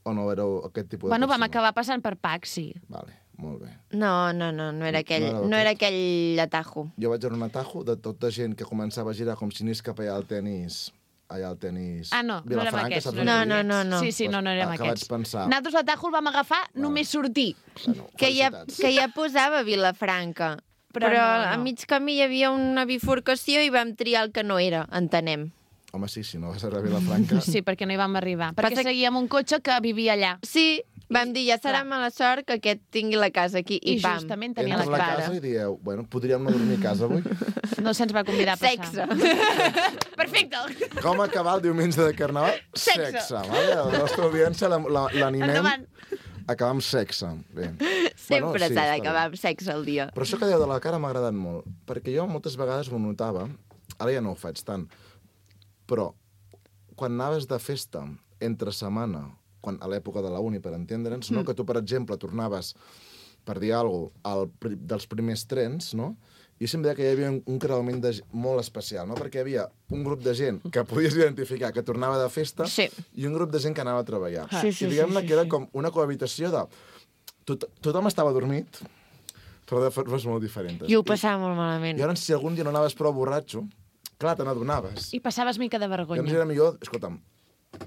O no éreu aquest tipus de persona? Vam acabar passant per Pacs, sí. Vale, molt bé. No era aquell atajo. Jo vaig veure un atajo de tota gent que començava a girar com si anés cap allà al tenis... no érem aquests. No. Sí, no érem aquests. Que vaig pensar... Nosaltres l'atajo el vam agafar només sortir. Bueno, que ja posava Vilafranca. Però a mig camí hi havia una bifurcació i vam triar el que no era, entenem. Home, sí, si no vas arribar a Vilafranca... Sí, perquè no hi vam arribar. Perquè seguíem un cotxe que vivia allà. Sí, vam dir, ja serà mala sort que aquest tingui la casa aquí. I pam. Justament tenia la casa i dieu, bueno, podríem no dormir a casa avui? No se'ns va convidar a passar. Sexe. Perfecte. Com acabar el diumenge de Carnaval? Sexe. Vale? La nostra audiència l'animem. Acabar amb sexe. Bé. Sempre s'ha d'acabar amb sexe al dia. Però això que dèieu de la cara m'ha agradat molt, perquè jo moltes vegades m'ho notava, ara ja no ho faig tant, però quan anaves de festa entre setmana, a l'època de la uni, per entendre'ns, no? Que tu, per exemple, tornaves, per dir alguna cosa, dels primers trens, no? I sempre deia que hi havia un creuament molt especial, no? Perquè hi havia un grup de gent que podies identificar que tornava de festa i un grup de gent que anava a treballar. I diguem-ne que era com una cohabitació de... Tothom estava dormit, però de formes molt diferents. I ho passava molt malament. I llavors, si algun dia no anaves prou borratxo, clar, te n'adonaves. I passaves mica de vergonya. Llavors era millor, escolta'm,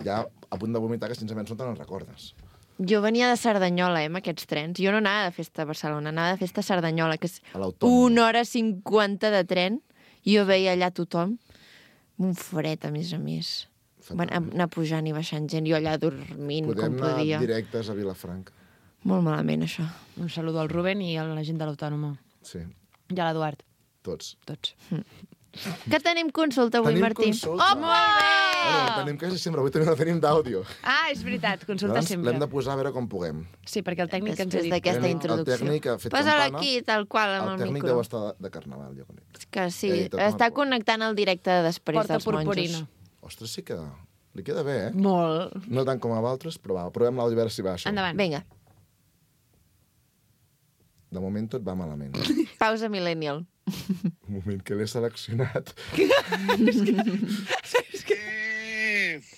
ja a punt de vomitar, que sincerament no te'n recordes. Jo venia de Cerdanyola, amb aquests trens. Jo no anava de festa a Barcelona, anava de festa a Cerdanyola, que és 1 hora 50 de tren, i jo veia allà tothom, un fred, a més. Anar pujant i baixant gent, jo allà dormint, com podia. Podem anar directes a Vilafranca. Molt malament, això. Un saludo al Rubén i a la gent de l'Autònoma. Sí. I a l'Eduard. Tots. Que tenim consulta avui, Martí? Tenim consulta. Oh, molt bé! Tenim quasi sempre, avui també la tenim d'àudio. És veritat, consulta sempre. L'hem de posar a veure com puguem. Sí, perquè el tècnic ens ha dit. Després d'aquesta introducció. El tècnic ha fet Posa-la campana. aquí, tal qual, amb el micro. El tècnic deu estar de Carnaval, jo crec. Que sí, està connectant el directe després dels monjos. Porta purpurina. Ostres, sí que li queda bé, eh? Molt. No tant com a altres, però va, provem l'àudio a veure si va això. Endavant. Vinga. De moment tot va malament. Pausa millennial. Un moment que l'he seleccionat.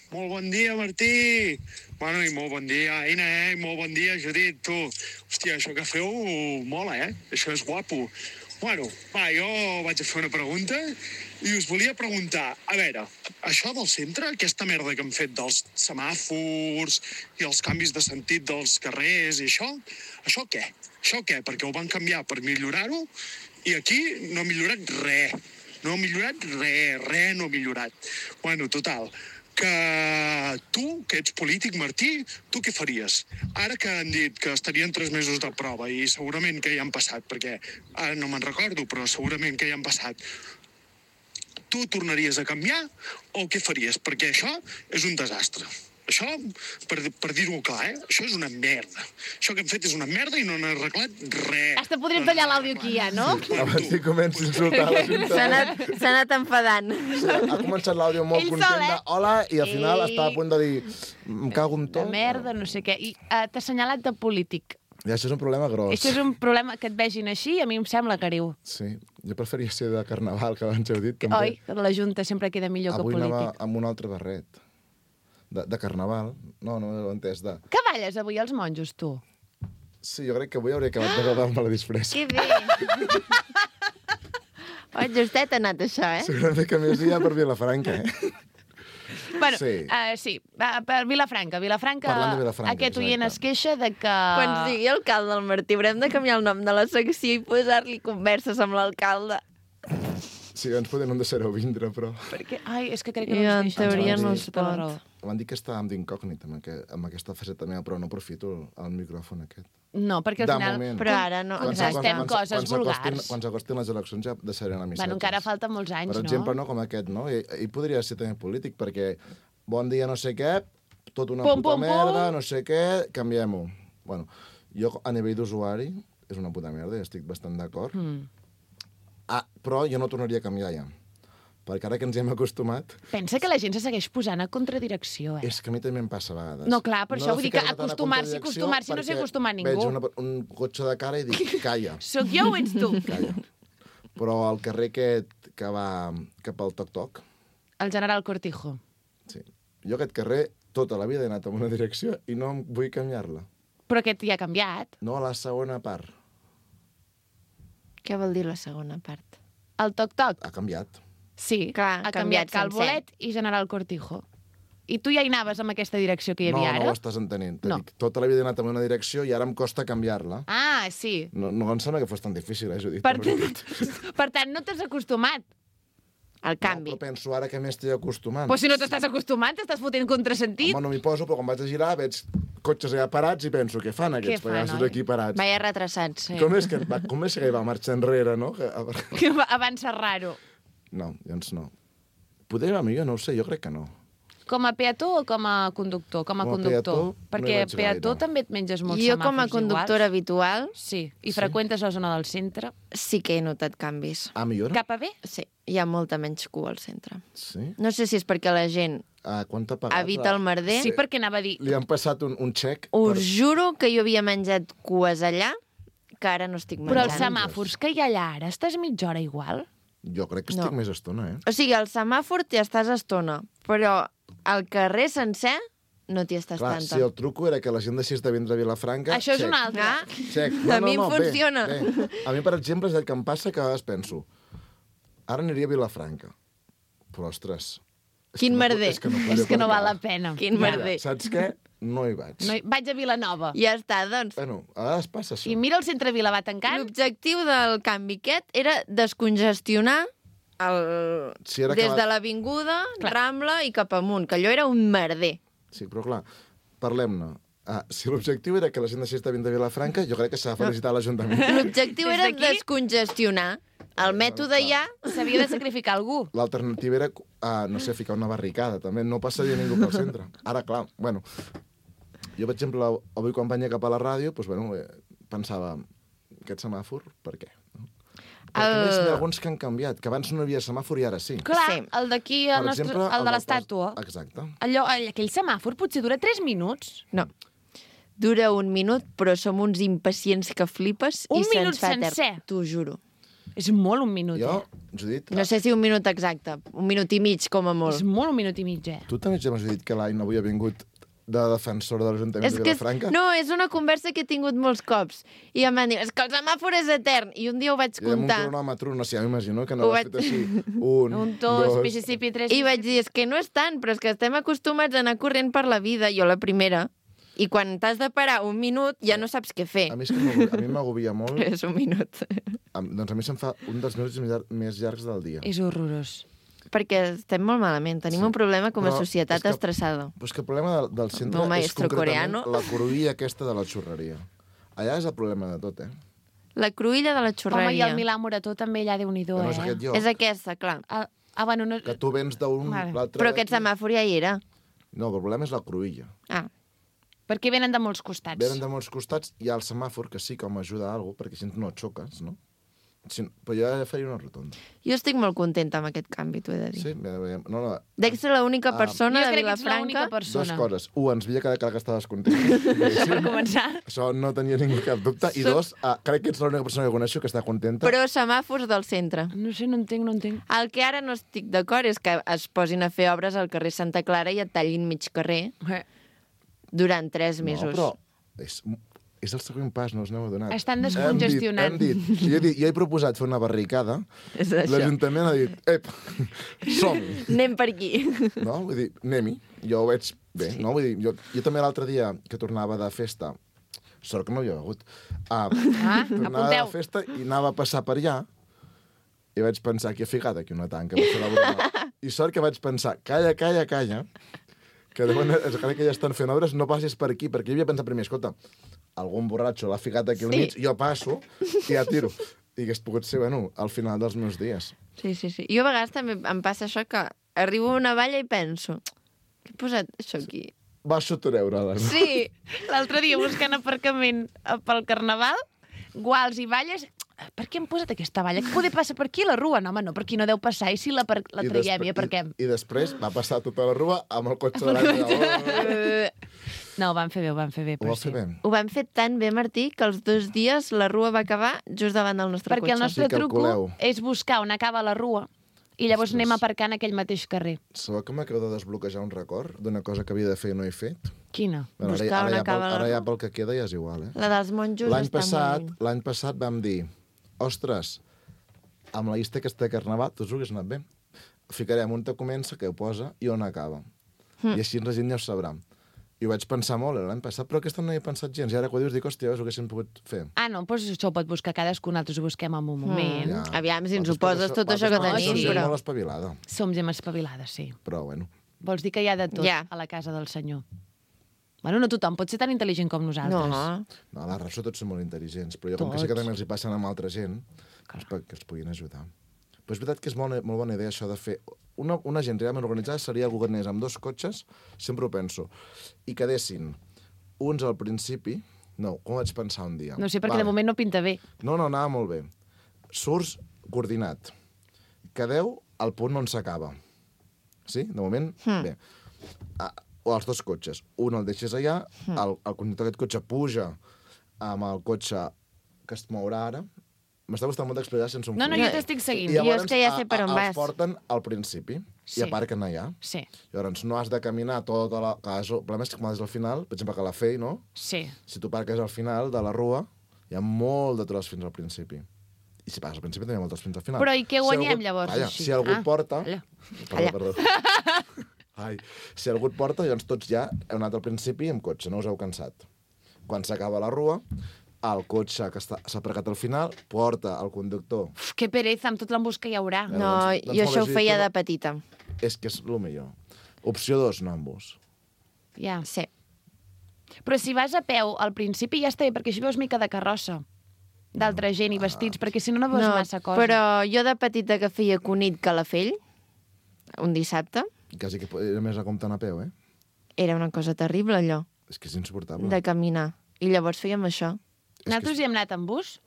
Molt bon dia, Martí. Bueno, i molt bon dia, Aina, I molt bon dia, Judit, tu. Hòstia, això que feu mola, Això és guapo. Bueno, va, jo vaig a fer una pregunta i us volia preguntar, a veure, això del centre, aquesta merda que han fet dels semàfors i els canvis de sentit dels carrers i això què? Això què? Perquè ho van canviar per millorar-ho i aquí no ha millorat res. No ha millorat res no ha millorat. Bueno, total, que tu, que ets polític, Martí, tu què faries? Ara que han dit que estarien 3 mesos de prova i segurament que ja han passat, perquè ara no me'n recordo, però segurament que ja han passat, tu tornaries a canviar o què faries? Perquè això és un desastre. Això, per dir-ho clar, això és una merda. Això que hem fet és una merda i no han arreglat res. Hasta podríem tallar l'àudio aquí ja, no? Abans que comenci a insultar l'Ajuntament. S'ha anat enfadant. Ha començat l'àudio molt Ell content sol, de hola i al final està a punt de dir em cago en De tot. merda, no sé què. I t'ha assenyalat de polític. I això és un problema gros. Això és un problema que et vegin així, a mi em sembla greu. Sí, jo preferia ser de carnaval, que abans heu dit. Oi? Que la Junta sempre queda millor Avui que anava polític. amb un altre barret. De carnaval. No ho he entès. Que balles avui els monjos, tu? Sí, jo crec que avui hauria acabat d'agradar-me la disfressa. Que bé. Oh, justet ha anat això, Segurament que més dia per Vilafranca, Bueno, Sí. sí. Per Vilafranca. Parlant de Vilafranca, Aquest oient exacte. es queixa de que... Quan sigui alcalde el Martí, haurem de canviar el nom de la secció i posar-li converses amb l'alcalde. Sí, ens podem no deixar-ho vindre, però... Perquè... Ai, és que crec que no I ens en deixen. teoria Sí, no sí, es tota la pot. raó. Van dir que estàvem d'incògnit amb aquesta faceta meva, però no aprofito el micròfon aquest. No, perquè al De final... moment. Però ara no. Contestem coses vulgars. Quan s'acostin les eleccions ja deixaré anar missatges. Bueno, encara falten molts anys, Per no? exemple, no com aquest, no? I podria ser també polític, perquè bon dia no sé què, tot una Pum, puta pum, merda, pum. no sé què, canviem-ho. Bueno, jo a nivell d'usuari és una puta merda i estic bastant d'acord. Però jo no tornaria a canviar ja. Perquè ara que ens hi hem acostumat... Pensa que la gent se segueix posant a contradirecció, És que a mi també em passa a vegades. No, clar, per això vull dir que ficar-me tant a acostumar-s'hi, contradicció no s'hi perquè acostuma ningú. Veig un cotxe de cara i dic, calla. Sóc jo o ets tu? Calla. Però al carrer aquest que va cap al Toc-Toc, El general Cortijo. sí. Jo aquest carrer tota la vida he anat en una direcció i no em vull canviar-la. Però aquest ja ha canviat. No a la segona part. Què vol dir la segona part? El Toc-Toc. Ha canviat. Sí, Clar, ha ha canviat canviat Calbolet i General Cortijo. I tu ja hi anaves amb aquesta direcció que hi havia No ara? ho estàs entenent. No. Dic, tota la vida he anat en una direcció i ara em costa canviar-la. Ah, sí. No em sembla que fos tan difícil, Judit. Per, la veritat. per tant, no t'has acostumat. El canvi. No, però penso ara que m'estic acostumant. Però si no t'estàs acostumant, t'estàs fotent contrasentit. Home, no m'hi poso, però quan vaig a girar veig cotxes allà parats i penso, què fan aquests fan, pagassos oi? aquí parats? Vaya retrasats. Com és que va marxar enrere, no? Que avança raro. No, doncs no. Poder anar millor, no ho sé, jo crec que no. Com a peató o com a conductor? Com a Com a conductor. peató, no hi Perquè vaig peató gaire. també et menges molts Jo, com a semàfors conductora iguals. habitual, Sí, i freqüentes la zona del centre. sí que he notat canvis. Ah, millora? Cap a bé? Sí, hi ha molta menys cua al centre. Sí? No sé si és perquè la gent Quant t'ha pagat? evita el merder. Sí, perquè anava a dir... Li han passat un xec Us juro que jo havia menjat cues allà, que ara no estic Però menjant. els semàfors que hi ha allà ara, estàs mitja hora igual? Jo crec que estic No. més estona, O sigui, al semàfor t'hi estàs estona, però al carrer sencer no t'hi estàs Clar, tanta. si el truco era que la gent deixés de vindre a Vilafranca... Això és xec. un altre. Ah, Xec. A mi em bé, funciona. Bé. A mi, per exemple, és el que em passa que a vegades penso ara aniria a Vilafranca. Però, ostres... és Quin que no- merder. És que no, És que no val la pena. Quin merder. Saps què? No hi vaig. No, vaig a Vilanova. Ja està, doncs. Bueno, a vegades passa això. I mira el centre Vila va tancant. L'objectiu del canvi aquest era descongestionar Si era des acabat- de l'avinguda, Clar. Rambla i cap amunt, que allò era un merder. Sí, però clar, parlem-ne. Si l'objectiu era que la gent deixés de vindre a Vilafranca, jo crec que s'ha de felicitar l'Ajuntament. L'objectiu Des era d'aquí? descongestionar. El mètode ja... S'havia de sacrificar algú. L'alternativa era, no sé, ficar una barricada, també. No passaria ningú pel centre. Ara, clar, bueno... Jo, per exemple, avui quan venia cap a la ràdio, doncs, bueno, pensava, aquest semàfor, per què? No? Perquè a més, n'hi ha alguns que han canviat, que abans no hi havia semàfor i ara sí. Clar, Sí. el d'aquí, Per el, nostre, exemple, el de del l'estàtua. pas- Exacte. Aquell semàfor potser dura 3 minuts. No. Dura 1 minut, però som uns impacients que flipes Un i minut se'ns fa etern. sencer? T'ho juro. És molt un minut, Jo, Judit, No sé si 1 minut exacte, 1 minut i mig, com a És molt. molt un minut i mig, tu també ja m'has dit que l'any avui ha vingut de defensor de l'Ajuntament És de que Vilafranca. no, és una conversa que he tingut molts cops. I em van dir, és que el semàfor és etern. I un dia ho vaig I amb un comptar. cronòmetre, no sé, ja m'imagino que no Ho l'has vaig- fet així. Un, Un, dos, Mississippi, 3... I vaig dir, és que no és tant, però és que estem acostumats a anar corrent per la vida, jo la primera. I quan t'has de parar 1 minut, ja no saps què fer. A mi, és que a mi m'agobia molt. És 1 minut. Doncs a mi se'm fa un dels minuts més llargs del dia. És horrorós. Perquè estem molt malament, tenim un problema com a Però societat és que- estressada. Però és que el problema del centre Meu és maestro concretament coreano. la cruïlla aquesta de la xurreria. Allà és el problema de tot, La cruïlla de la Home, i xurreria. el Milà Morató també allà, Déu-n'hi-do, Que no és aquest lloc. És aquesta, clar. Bueno, no... Que tu vens d'un, Vale. l'altre... Però aquest semàfor ja hi era. No, el problema és la cruïlla. Ah, perquè venen de molts costats. Venen de molts costats, hi ha el semàfor, que sí que m'ajuda a alguna cosa, perquè així no et xoques, no? Però jo ja faria una rotonda. Jo estic molt contenta amb aquest canvi, t'ho he de dir. Sí? No. Dec ser l'única persona de Vilafranca... Dues coses. Ens veia cada que estaves contenta. Per començar. Això no tenia ningú cap dubte. I dos, crec que ets l'única persona que coneixo que està contenta. Però semàfors del centre. No sé, no entenc. El que ara no estic d'acord és que es posin a fer obres al carrer Santa Clara i et tallin mig carrer durant 3 mesos. No, però és el següent pas, no us n'heu adonat. Estan descongestionant. Hem dit. Jo he proposat fer una barricada. És això. L'Ajuntament ha dit, som-hi. Anem per aquí. No? Vull dir, anem-hi. Jo ho veig bé. Sí. No? Vull dir, jo també l'altre dia que tornava de festa, sort que no hi havia begut, tornava de festa i anava a passar per allà i vaig pensar, aquí he ficat aquí una tanca. I sort que vaig pensar, calla, que crec que ja estan fent obres, no passis per aquí, perquè jo havia pensat primer, escolta, algun borratxo l'ha ficat aquí al mig, jo passo i ja tiro. I hagués pogut ser, al final dels meus dies. Sí. Jo a vegades també em passa això, que arribo a una valla i penso, què he posat això aquí? Baixo a treure-la. No? Sí, l'altre dia buscant aparcament pel Carnaval, guals i valles... Per què hem posat aquesta valla? Que poder passar per aquí la rua? No, home, no, per aquí no deu passar. I si la traiem i aparquem? I després va passar tota la rua amb el cotxe de l'any. No, ho van fer bé. Ho van fer bé. Ho van fer tan bé, Martí, que els 2 dies la rua va acabar just davant del nostre cotxe. Perquè el nostre truco és buscar on acaba la rua i llavors anem aparcant aquell mateix carrer. Sabeu que m'acabo de desbloquejar un record d'una cosa que havia de fer i no he fet? Quina? Buscar on acaba la rua. Ara ja pel que queda ja és igual, La dels monjos L'any passat vam dir, ostres, amb la llista aquesta de Carnaval, tots ho hagués anat bé. Ficarem on comença, que ho posa, i on acaba. I així la gent ja ho sabrà. I ho vaig pensar molt l'any passat, però aquest any no hi he pensat gens. I ara quan dius, dic, hòstia, ho haguéssim pogut fer. Ah, no, doncs això ho pot buscar cadascú, nosaltres ho busquem en un moment. Ja. Aviam, si ens ho poses tot això que tenim. Som gent molt espavilada. Som gent espavilada, sí. Però, bueno. Vols dir que hi ha de tot a la casa del senyor? Bueno, no tothom pot ser tan intel·ligent com nosaltres. No, a la Rapso tots són molt intel·ligents, però jo com que sé que també els hi passen amb altra gent, doncs perquè els puguin ajudar. Però és veritat que és molt bona idea això de fer... Una gent realment organitzada seria algú que anés amb 2 cotxes, sempre ho penso, i quedessin uns al principi... No, com vaig pensar un dia? No sé, perquè de moment no pinta bé. No, anava molt bé. Surts coordinat. Quedeu al punt on s'acaba. Sí? De moment, bé. O els 2 cotxes. Un el deixes allà, el conductor d'aquest cotxe puja amb el cotxe que es mourà ara. M'està costant molt d'explicar sense un No, jo t'estic seguint. I llavors jo és que ja sé per on vas. Els porten al principi i aparquen allà. Sí. Llavors no has de caminar tota la... El problema és que quan és al final, per exemple, que la Fei, no? Sí. Si tu parques al final de la rua, hi ha molt de tros fins al principi. I si pagues al principi, també hi ha molt de tros fins al final. Però i què guanyem, llavors, així? Si algú et porta... Perdó. Si algú et porta, llavors tots ja heu anat al principi amb cotxe, no us heu cansat. Quan s'acaba la rua, el cotxe que s'ha aparcat al final porta el conductor. Que pereza, amb tot l'embús que hi haurà. No, jo això ho feia de petita. És que és el millor. Opció 2, no embús. Ja. Sí. Però si vas a peu, al principi ja està bé, perquè així veus mica de carrossa d'altra gent i vestits, perquè si no no veus massa cosa. Però jo de petita que feia Cunit Calafell, un dissabte... Quasi que era més a compte anar a peu, Era una cosa terrible, allò. És que és insuportable. De caminar. I llavors fèiem això. Nosaltres hi hem anat amb bus?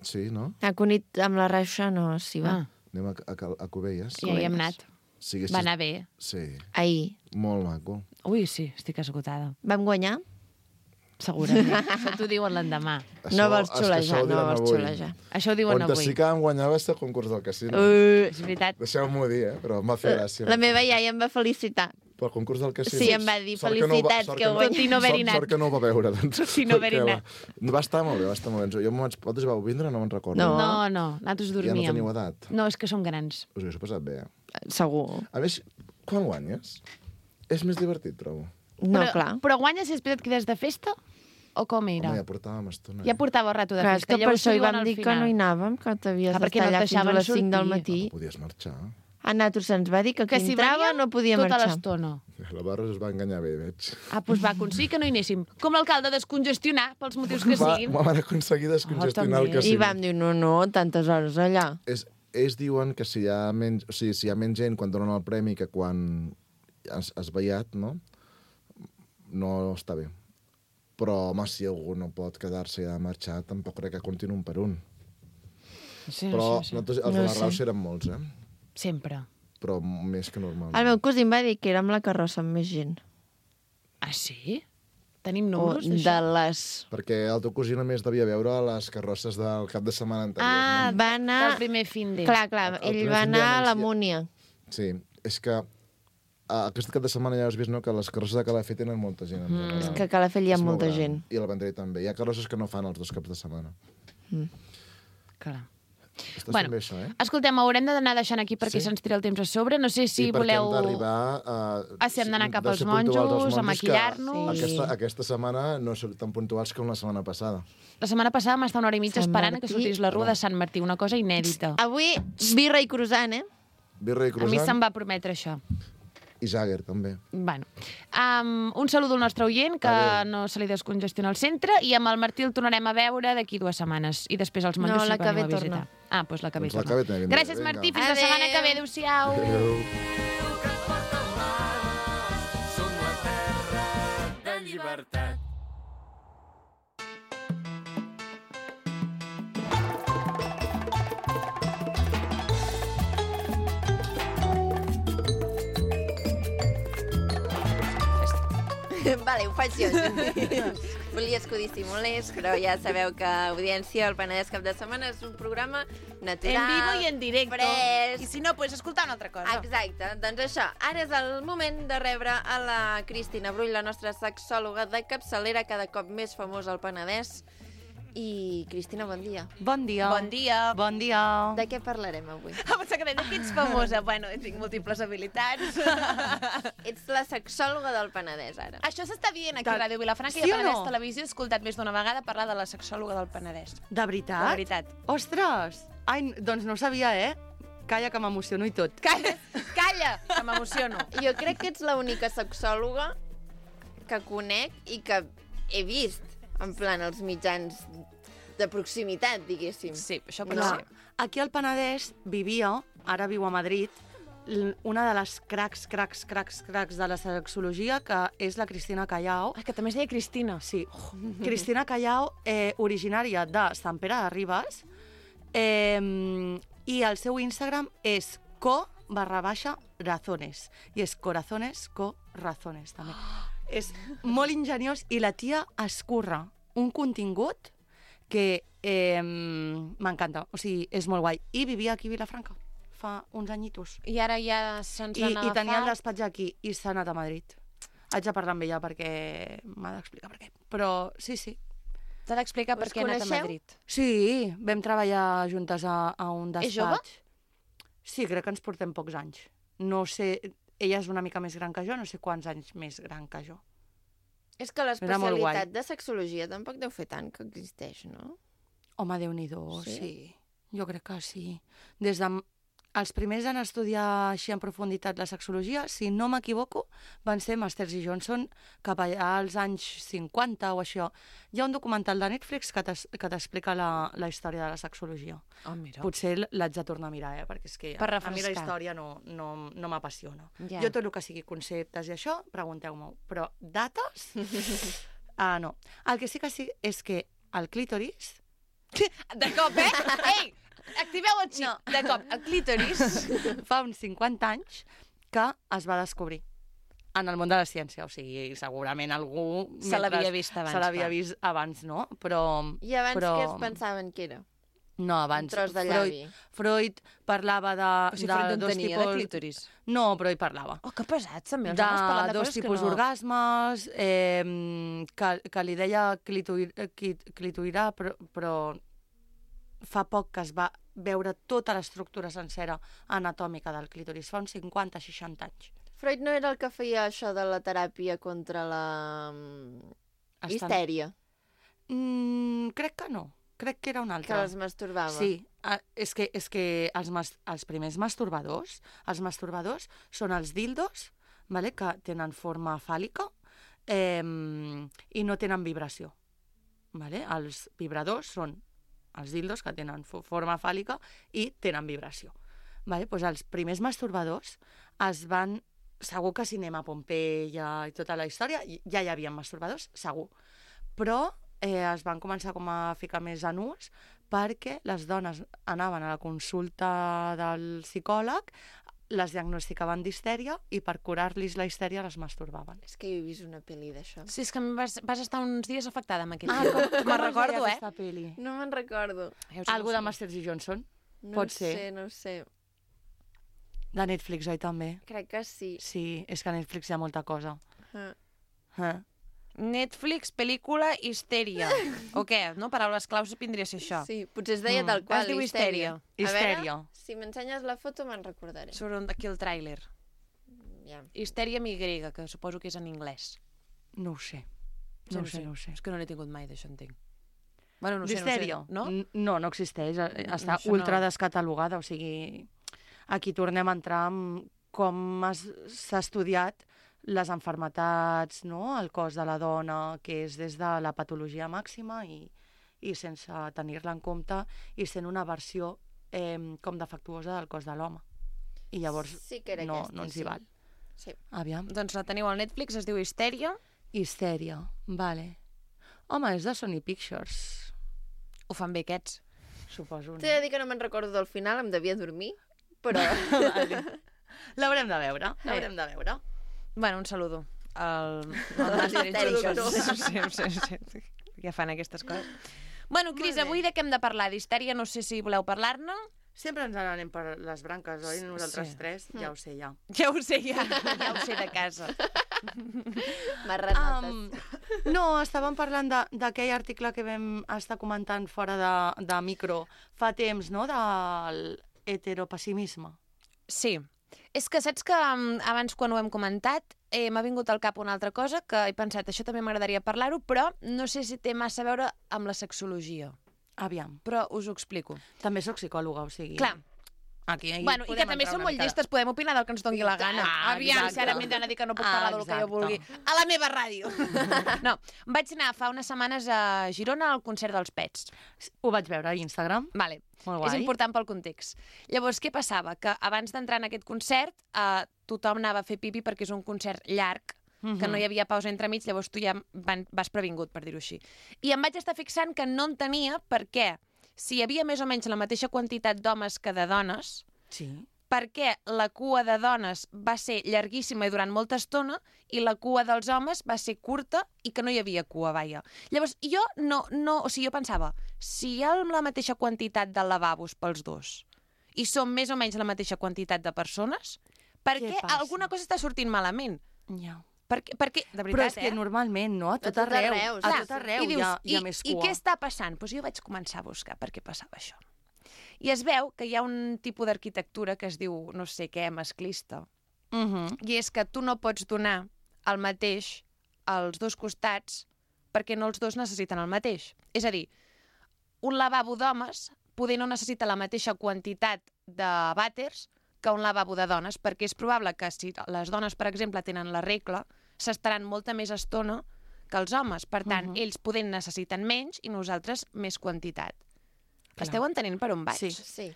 Sí, no? A Cunit amb la Raixa no s'hi va. Anem a Cubelles. Ja hi hem anat. Va anar bé. Sí. Ahir. Molt maco. Ui, sí, estic esgotada. Vam guanyar? Segurament. Això t'ho diuen l'endemà. No vols xulejar, Això ho diuen avui. On sí que em guanyava és el concurs del casino. És veritat. Deixeu-m'ho dir, però em va fer gràcia. La meva iaia em va felicitar. Pel concurs del casino? Sí, em va dir felicitats que ho Tot i no haver-hi anat. Sort que no ho va veure, doncs. Tot i no haver-hi anat. Va estar molt bé, va estar molt bé. Vosaltres vau vindre? No me'n recordo. No, nosaltres dormíem. Ja no teniu edat? No, és que som grans. Us ho he passat bé, Segur. A més, quan guanyes, és més divertit, trobo. No, clar. Però guanyes i després et quedes de festa? O com era? Home, ja portàvem estona. Ja portava rato de clar, festa. És que per això hi vam dir que no hi anàvem, que t'havies d'estar allà fins a les 5 del matí. No podies marxar. A nosaltres se'ns va dir que qui entrava no podia marxar. Tota l'estona. La Barres es va enganyar bé, veig. Doncs va aconseguir que no hi anéssim. Com l'alcable, descongestionar, pels motius que siguin. Van aconseguir descongestionar el casino. I vam dir, no, tantes hores allà. Ells diuen que si hi ha menys gent quan donen el premi que quan esvaiat, no? No està bé. Però, home, si algú no pot quedar-se i ha de marxar, tampoc crec que comptin un per un. Sí, Però sí. els de la Rauxa eren molts, Sempre. Però més que normal. El meu cosí em va dir que era amb la carrossa amb més gent. Ah, sí? Tenim O números de d'això? les... Perquè el teu cosí només devia veure les carrosses del cap de setmana anterior, Ah, no? va anar... Del primer fin de. Clar, El ell primer va fin de anar a la mes, Múnia. Sí, és que aquest cap de setmana ja has vist, no?, que les carrosses de Calafell tenen molta gent. En general. És que a Calafell hi ha És molt molta gran. gent. I el Vendrell també. Hi ha carrosses que no fan els 2 caps de setmana. Clar. Estàs Bueno, fent bé, això, escoltem, haurem d'anar deixant aquí perquè Sí. se'ns tira el temps a sobre. No sé si I perquè voleu... hem d'arribar a... Ah, si hem d'anar cap de als ser puntuals monjos, als a maquillar-nos. que Aquesta setmana no són tan puntuals com la setmana passada. La setmana passada vam estar una hora i mitja Sant esperant que Martí. sortís la rua de Sant Martí, una cosa inèdita. Avui, birra i croissant, Birra i A mi se'm croissant va prometre això. i Jagger, també. Bueno, un saludo al nostre oient, que Adéu. no se li descongestiona el centre, i amb el Martí el tornarem a veure d'aquí 2 setmanes. I després els monjos No, la si que veniu ve a visitar. torna. Ah, doncs la que ve Doncs la torna. que ve també vindrà. Gràcies, Vinga. Martí. Fins la setmana que ve. Adéu-siau. Adéu. Som la terra de llibertat. Vale, ho faig jo. Volies que ho dissimulés, però ja sabeu que Audiència, el Penedès Cap de Setmana, és un programa natural, En vivo i en directo. fresc. I si no, pues escoltar una altra cosa. Exacte, doncs això, ara és el moment de rebre a la Cristina Brull, la nostra sexòloga de capçalera, cada cop més famosa al Penedès. I, Cristina, bon dia. Bon dia. Bon dia. Bon dia. De què parlarem avui? Ah, pensava que deia que ets famosa. Bueno, tinc múltiples habilitats. Ets la sexòloga del Penedès, ara. Això s'està dient aquí a Ràdio Vilafranca Sí i a o Penedès no? Televisió. He escoltat més d'una vegada parlar de la sexòloga del Penedès. De veritat? De veritat. Ostres! Ai, doncs no ho sabia, Calla, que m'emociono i tot. Calla, calla, que m'emociono. Jo crec que ets l'única sexòloga que conec i que he vist, en plan, els mitjans de proximitat, diguéssim. Sí, això pot Clar, ser. aquí al Penedès vivia, ara viu a Madrid, una de les cracs de la sexologia, que és la Cristina Callao. Ah, que també es deia Cristina. Sí, Cristina Callao, originària de Sant Pere de Ribes, i el seu Instagram és co_razones, i és corazones, co-razones, també. És molt ingeniós i la tia escurra un contingut que m'encanta, o sigui, és molt guai. I vivia aquí a Vilafranca fa uns anyitos. I ara ja se'ns van I tenia el agafar. despatx aquí i s'ha anat a Madrid. Haig de parlar amb ella perquè m'ha d'explicar per què. Però sí, sí. T'ha d'explicar per Us què ha anat a coneixeu? Madrid. Sí, vam treballar juntes a un despatx. És jove? Sí, crec que ens portem pocs anys. No sé, ella és una mica més gran que jo, no sé quants anys més gran que jo. És que Era molt guai. l'especialitat de sexologia tampoc deu fer tant que existeix, no? Home, Déu-n'hi-do, Sí? sí. Jo crec que sí. Des de... Els primers en estudiar així en profunditat la sexologia, si no m'equivoco, van ser Masters i Johnson cap allà als anys 50 o això. Hi ha un documental de Netflix que t'explica la història de la sexologia. Oh, mira. Potser l'haig de tornar a mirar, perquè és que Per a mi la refrescar. història no m'apassiona. Ja. Jo tot el que sigui conceptes i això, pregunteu-m'ho. Però dates? No. El que sí és que el clítoris... De cop, Ei! Activeu el xip. No. De cop, el clítoris. fa uns 50 anys que es va descobrir en el món de la ciència. O sigui, segurament algú... Se l'havia vist abans, Se l'havia clar. vist abans, no? Però... I abans però... què es pensaven que era? No, abans... Un tros de llavi. Freud parlava de... O sigui, de Freud en dos tenia, tipus... de clítoris. No, però hi parlava. Oh, que pesats, també. Els homes parlant de dos coses tipus que no... d'orgasmes, que li deia clitoirà, però fa poc que es va veure tota l'estructura sencera anatòmica del clítoris, fa uns 50-60 anys. Freud no era el que feia això de la teràpia contra la histèria, Crec que no. Crec que era un que altre. les masturbava. Sí, és que els primers masturbadors, són els dildos, vale, que tenen forma fàl·lica i no tenen vibració. Vale? Els vibradors són els dildos que tenen forma fàl·lica i tenen vibració. Vale? Pues els primers masturbadors es van segur que Cinema Pompeia i tota la història ja hi havia masturbadors, segur. Però es van començar com a ficar més en ús perquè les dones anaven a la consulta del psicòleg, les diagnosticaven d'histèria i per curar-los la histèria les masturbaven. És que jo he vist una pel·li d'això. Sí, és que vas estar uns dies afectada amb aquell Com me'n recordo, aquesta peli? No me'n recordo. Algú de Masters i Johnson? Pot ser. No sé. De Netflix, oi, també? Crec que sí. Sí, és que a Netflix hi ha molta cosa. Netflix, pel·lícula, histèria. O què? No? Paraules claus vindria a ser això. Sí, potser es deia tal qual, es diu histèria. A Histèria. veure, si m'ensenyes la foto me'n recordaré. Surt aquí el tràiler. Ja. Histèria amb Y, que suposo que és en anglès. No ho sé. No ho sé. És que no n'he tingut mai, d'això entenc. Bueno, no sé, D'histèria? no? No existeix. Està Això no. ultra descatalogada, o sigui... Aquí tornem a entrar en com s'ha estudiat les enfermetats, no? El cos de la dona, que és des de la patologia màxima i sense tenir-la en compte i sent una versió com defectuosa del cos de l'home. I llavors Sí que era no aquesta, ens sí. hi val. Sí. Aviam. Doncs la teniu al Netflix, es diu Histèria. Histèria, vale. Home, és de Sony Pictures, Ho fan bé aquests. suposo. T'he de dir que no me'n recordo del final, em devia dormir, però... Vale. L'haurem de veure, l'haurem de veure. Bueno, un saludo al Master Sí. Ja fan aquestes coses. Bueno, Cris, avui de què hem de parlar? D'histèria, no sé si voleu parlar-ne. Sempre ens n'anem per les branques, oi? Nosaltres tres, ja ho sé, ja. Ja ho sé, ja ho sé de casa. Marranotes. No, estàvem parlant d'aquell article que vam estar comentant fora de micro fa temps, no?, del heteropessimisme. Sí. És que saps que abans, quan ho hem comentat, m'ha vingut al cap una altra cosa que he pensat, això també m'agradaria parlar-ho, però no sé si té massa a veure amb la sexologia. Aviam. Però us ho explico. També sóc psicòloga, o sigui... Clar. Aquí Bueno, i que també som molt llistes, podem opinar del que ens doni la gana. Aviam, exacte. si ara m'he d'anar a dir que no puc parlar del que jo vulgui. A la meva ràdio. No, vaig anar fa unes setmanes a Girona al concert dels Pets. Ho vaig veure a Instagram. Vale. Molt guai. És important pel context. Llavors, què passava? Que abans d'entrar en aquest concert, tothom anava a fer pipi perquè és un concert llarg, que no hi havia pausa entremig, llavors tu ja vas previngut, per dir-ho així. I em vaig estar fixant que no en tenia perquè si hi havia més o menys la mateixa quantitat d'homes que de dones, Sí. perquè la cua de dones va ser llarguíssima i durant molta estona i la cua dels homes va ser curta i que no hi havia cua, vaja. Llavors, jo jo pensava, si hi ha la mateixa quantitat de lavabos pels dos i som més o menys la mateixa quantitat de persones, per què passa? alguna cosa està sortint malament? Ja. Perquè de veritat, Però és que normalment, no? A tot arreu. A tot arreu i dius, hi ha més cua. I què està passant? Doncs jo vaig començar a buscar per què passava això. I es veu que hi ha un tipus d'arquitectura que es diu, no sé què, masclista. I és que tu no pots donar el mateix als dos costats perquè no els dos necessiten el mateix. És a dir, un lavabo d'homes poder no necessita la mateixa quantitat de vàters que un lavabo de dones, perquè és probable que si les dones, per exemple, tenen la regla, s'estaran molta més estona que els homes. Per tant, ells podent necessiten menys i nosaltres més quantitat. Esteu entenent per on vaig? Sí. Sí.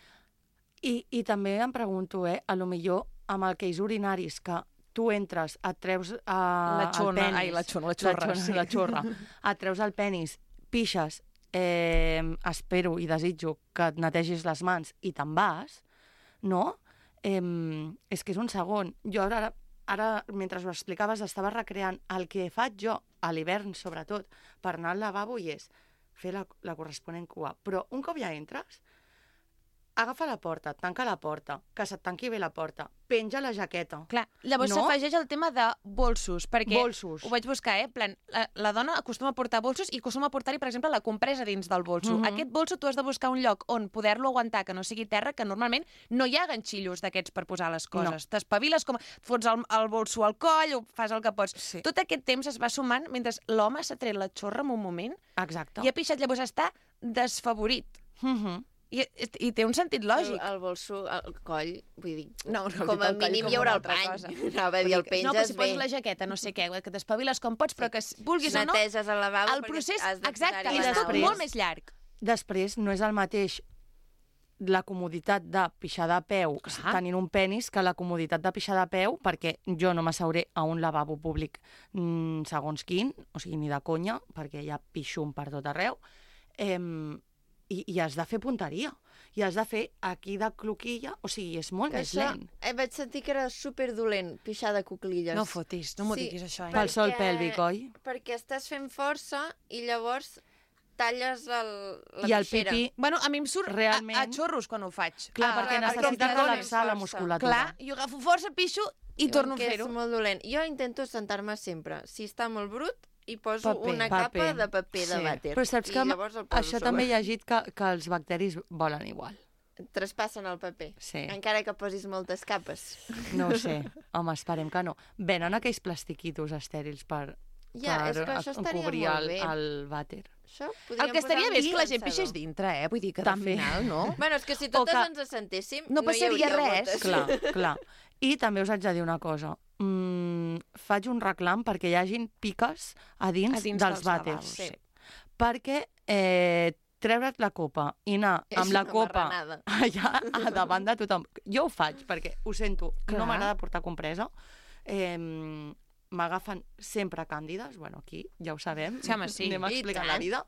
I també em pregunto, a lo millor amb aquells urinaris que tu entres, et treus La xona, el penis... La xorra. Et treus el penis, pixes, espero i desitjo que et netegis les mans i te'n vas, no? És que és un segon. Jo ara, mentre ho explicaves, estava recreant el que faig jo, a l'hivern sobretot, per anar al lavabo i és fer la corresponent cua. Però un cop ja entres, agafa la porta, tanca la porta, que se't tanqui bé la porta, penja la jaqueta. Clar, llavors s'afegeix el tema de bolsos, perquè Bolsos. ho vaig buscar, plan, la dona acostuma a portar bolsos i acostuma a portar-hi, per exemple, la compresa dins del bolso. Aquest bolso tu has de buscar un lloc on poder-lo aguantar, que no sigui terra, que normalment no hi ha ganxillos d'aquests per posar les coses. No. T'espaviles com... Fots el bolso al coll, o fas el que pots. Sí. Tot aquest temps es va sumant mentre l'home s'ha tret la xorra en un moment Exacte. i ha pixat, llavors està desfavorit. I té un sentit lògic. El bolso, el coll, vull dir, No, com a mínim hi haurà el pany. Anava a dir, el penges no, però si bé. poses la jaqueta, no sé què, que t'espaviles com pots, però que vulguis o no... Neteges el lavabo el perquè procés, has de exacte, posar-hi és la tot nau. molt més llarg. Després no és el mateix la comoditat de pixar de peu tenint un penis que la comoditat de pixar de peu, perquè jo no m'asseuré a un lavabo públic segons quin, o sigui, ni de conya, perquè hi ha pixum per tot arreu, i has de fer punteria. I has de fer aquí de cloquilla, o sigui, és molt més lent. Vaig sentir que era superdolent, pixar de cuclilles. No fotis, no m'ho diguis això. Pel sol pèlvic, oi? Perquè estàs fent força i llavors talles la I el pixera. pipí... Bueno, a mi em surt realment... a xorros quan ho faig. Clar, perquè necessites relaxar la musculatura. Clar, jo agafo força, pixo i torno a fer-ho. És molt dolent. Jo intento sentar-me sempre. Si està molt brut, i poso Paper. una capa de paper de vàter. Però saps que això també he llegit que els bacteris volen igual. Traspassen el paper. Sí. Encara que posis moltes capes. No ho sé. Home, esperem que no. Venen aquells plastiquitos estèrils per és que això estaria cobrir molt bé. el vàter. El que estaria bé és que la gent pixés dintre, Vull dir que també. al final, no? Bueno, és que si totes ens assentéssim, no passaria res. Clar. I també us haig de dir una cosa. Faig un reclam perquè hi hagin piques a dins dels vàters. Sí. Perquè treure't la copa i anar amb la copa allà a davant de tothom. Jo ho faig perquè ho sento, no m'agrada portar compresa. M'agafen sempre càndides, bueno, aquí ja ho sabem, sí, home, sí. Anem explicant la vida.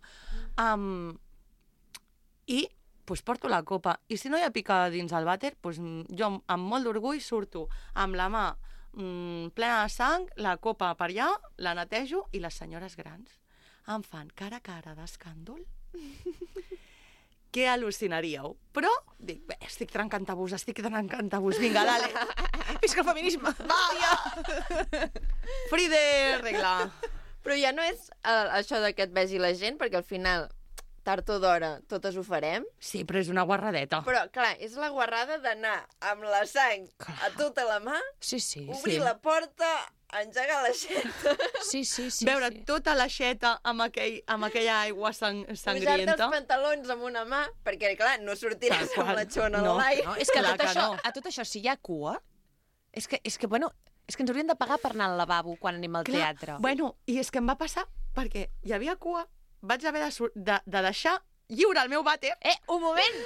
I porto la copa. I si no hi ha pica dins el vàter, jo amb molt d'orgull surto amb la mà plena de sang, la copa per allà, la netejo i les senyores grans em fan cara a cara d'escàndol. Que al·lucinaríeu. Però dic, bé, estic trencant tabús, vinga, dale. Visca el feminisme. Va! Fride, regla. Però ja no és això de que et vegi la gent, perquè al final, tard o d'hora, totes ho farem. Sí, però és una guarradeta. Però, clar, és la guarrada d'anar amb la sang a tota la mà, obrir la porta, engegar l'aixeta... Sí. Veure tota l'aixeta amb aquella aigua sangrienta. Posar-te els pantalons amb una mà, perquè, clar, no sortiràs amb la xona de l'aire. No, és que a tot això, si hi ha cua, és que ens haurien de pagar per anar al lavabo quan anem al teatre. Bueno, i és que em va passar, perquè hi havia cua, vaig haver de deixar lliure el meu vàter. Un moment!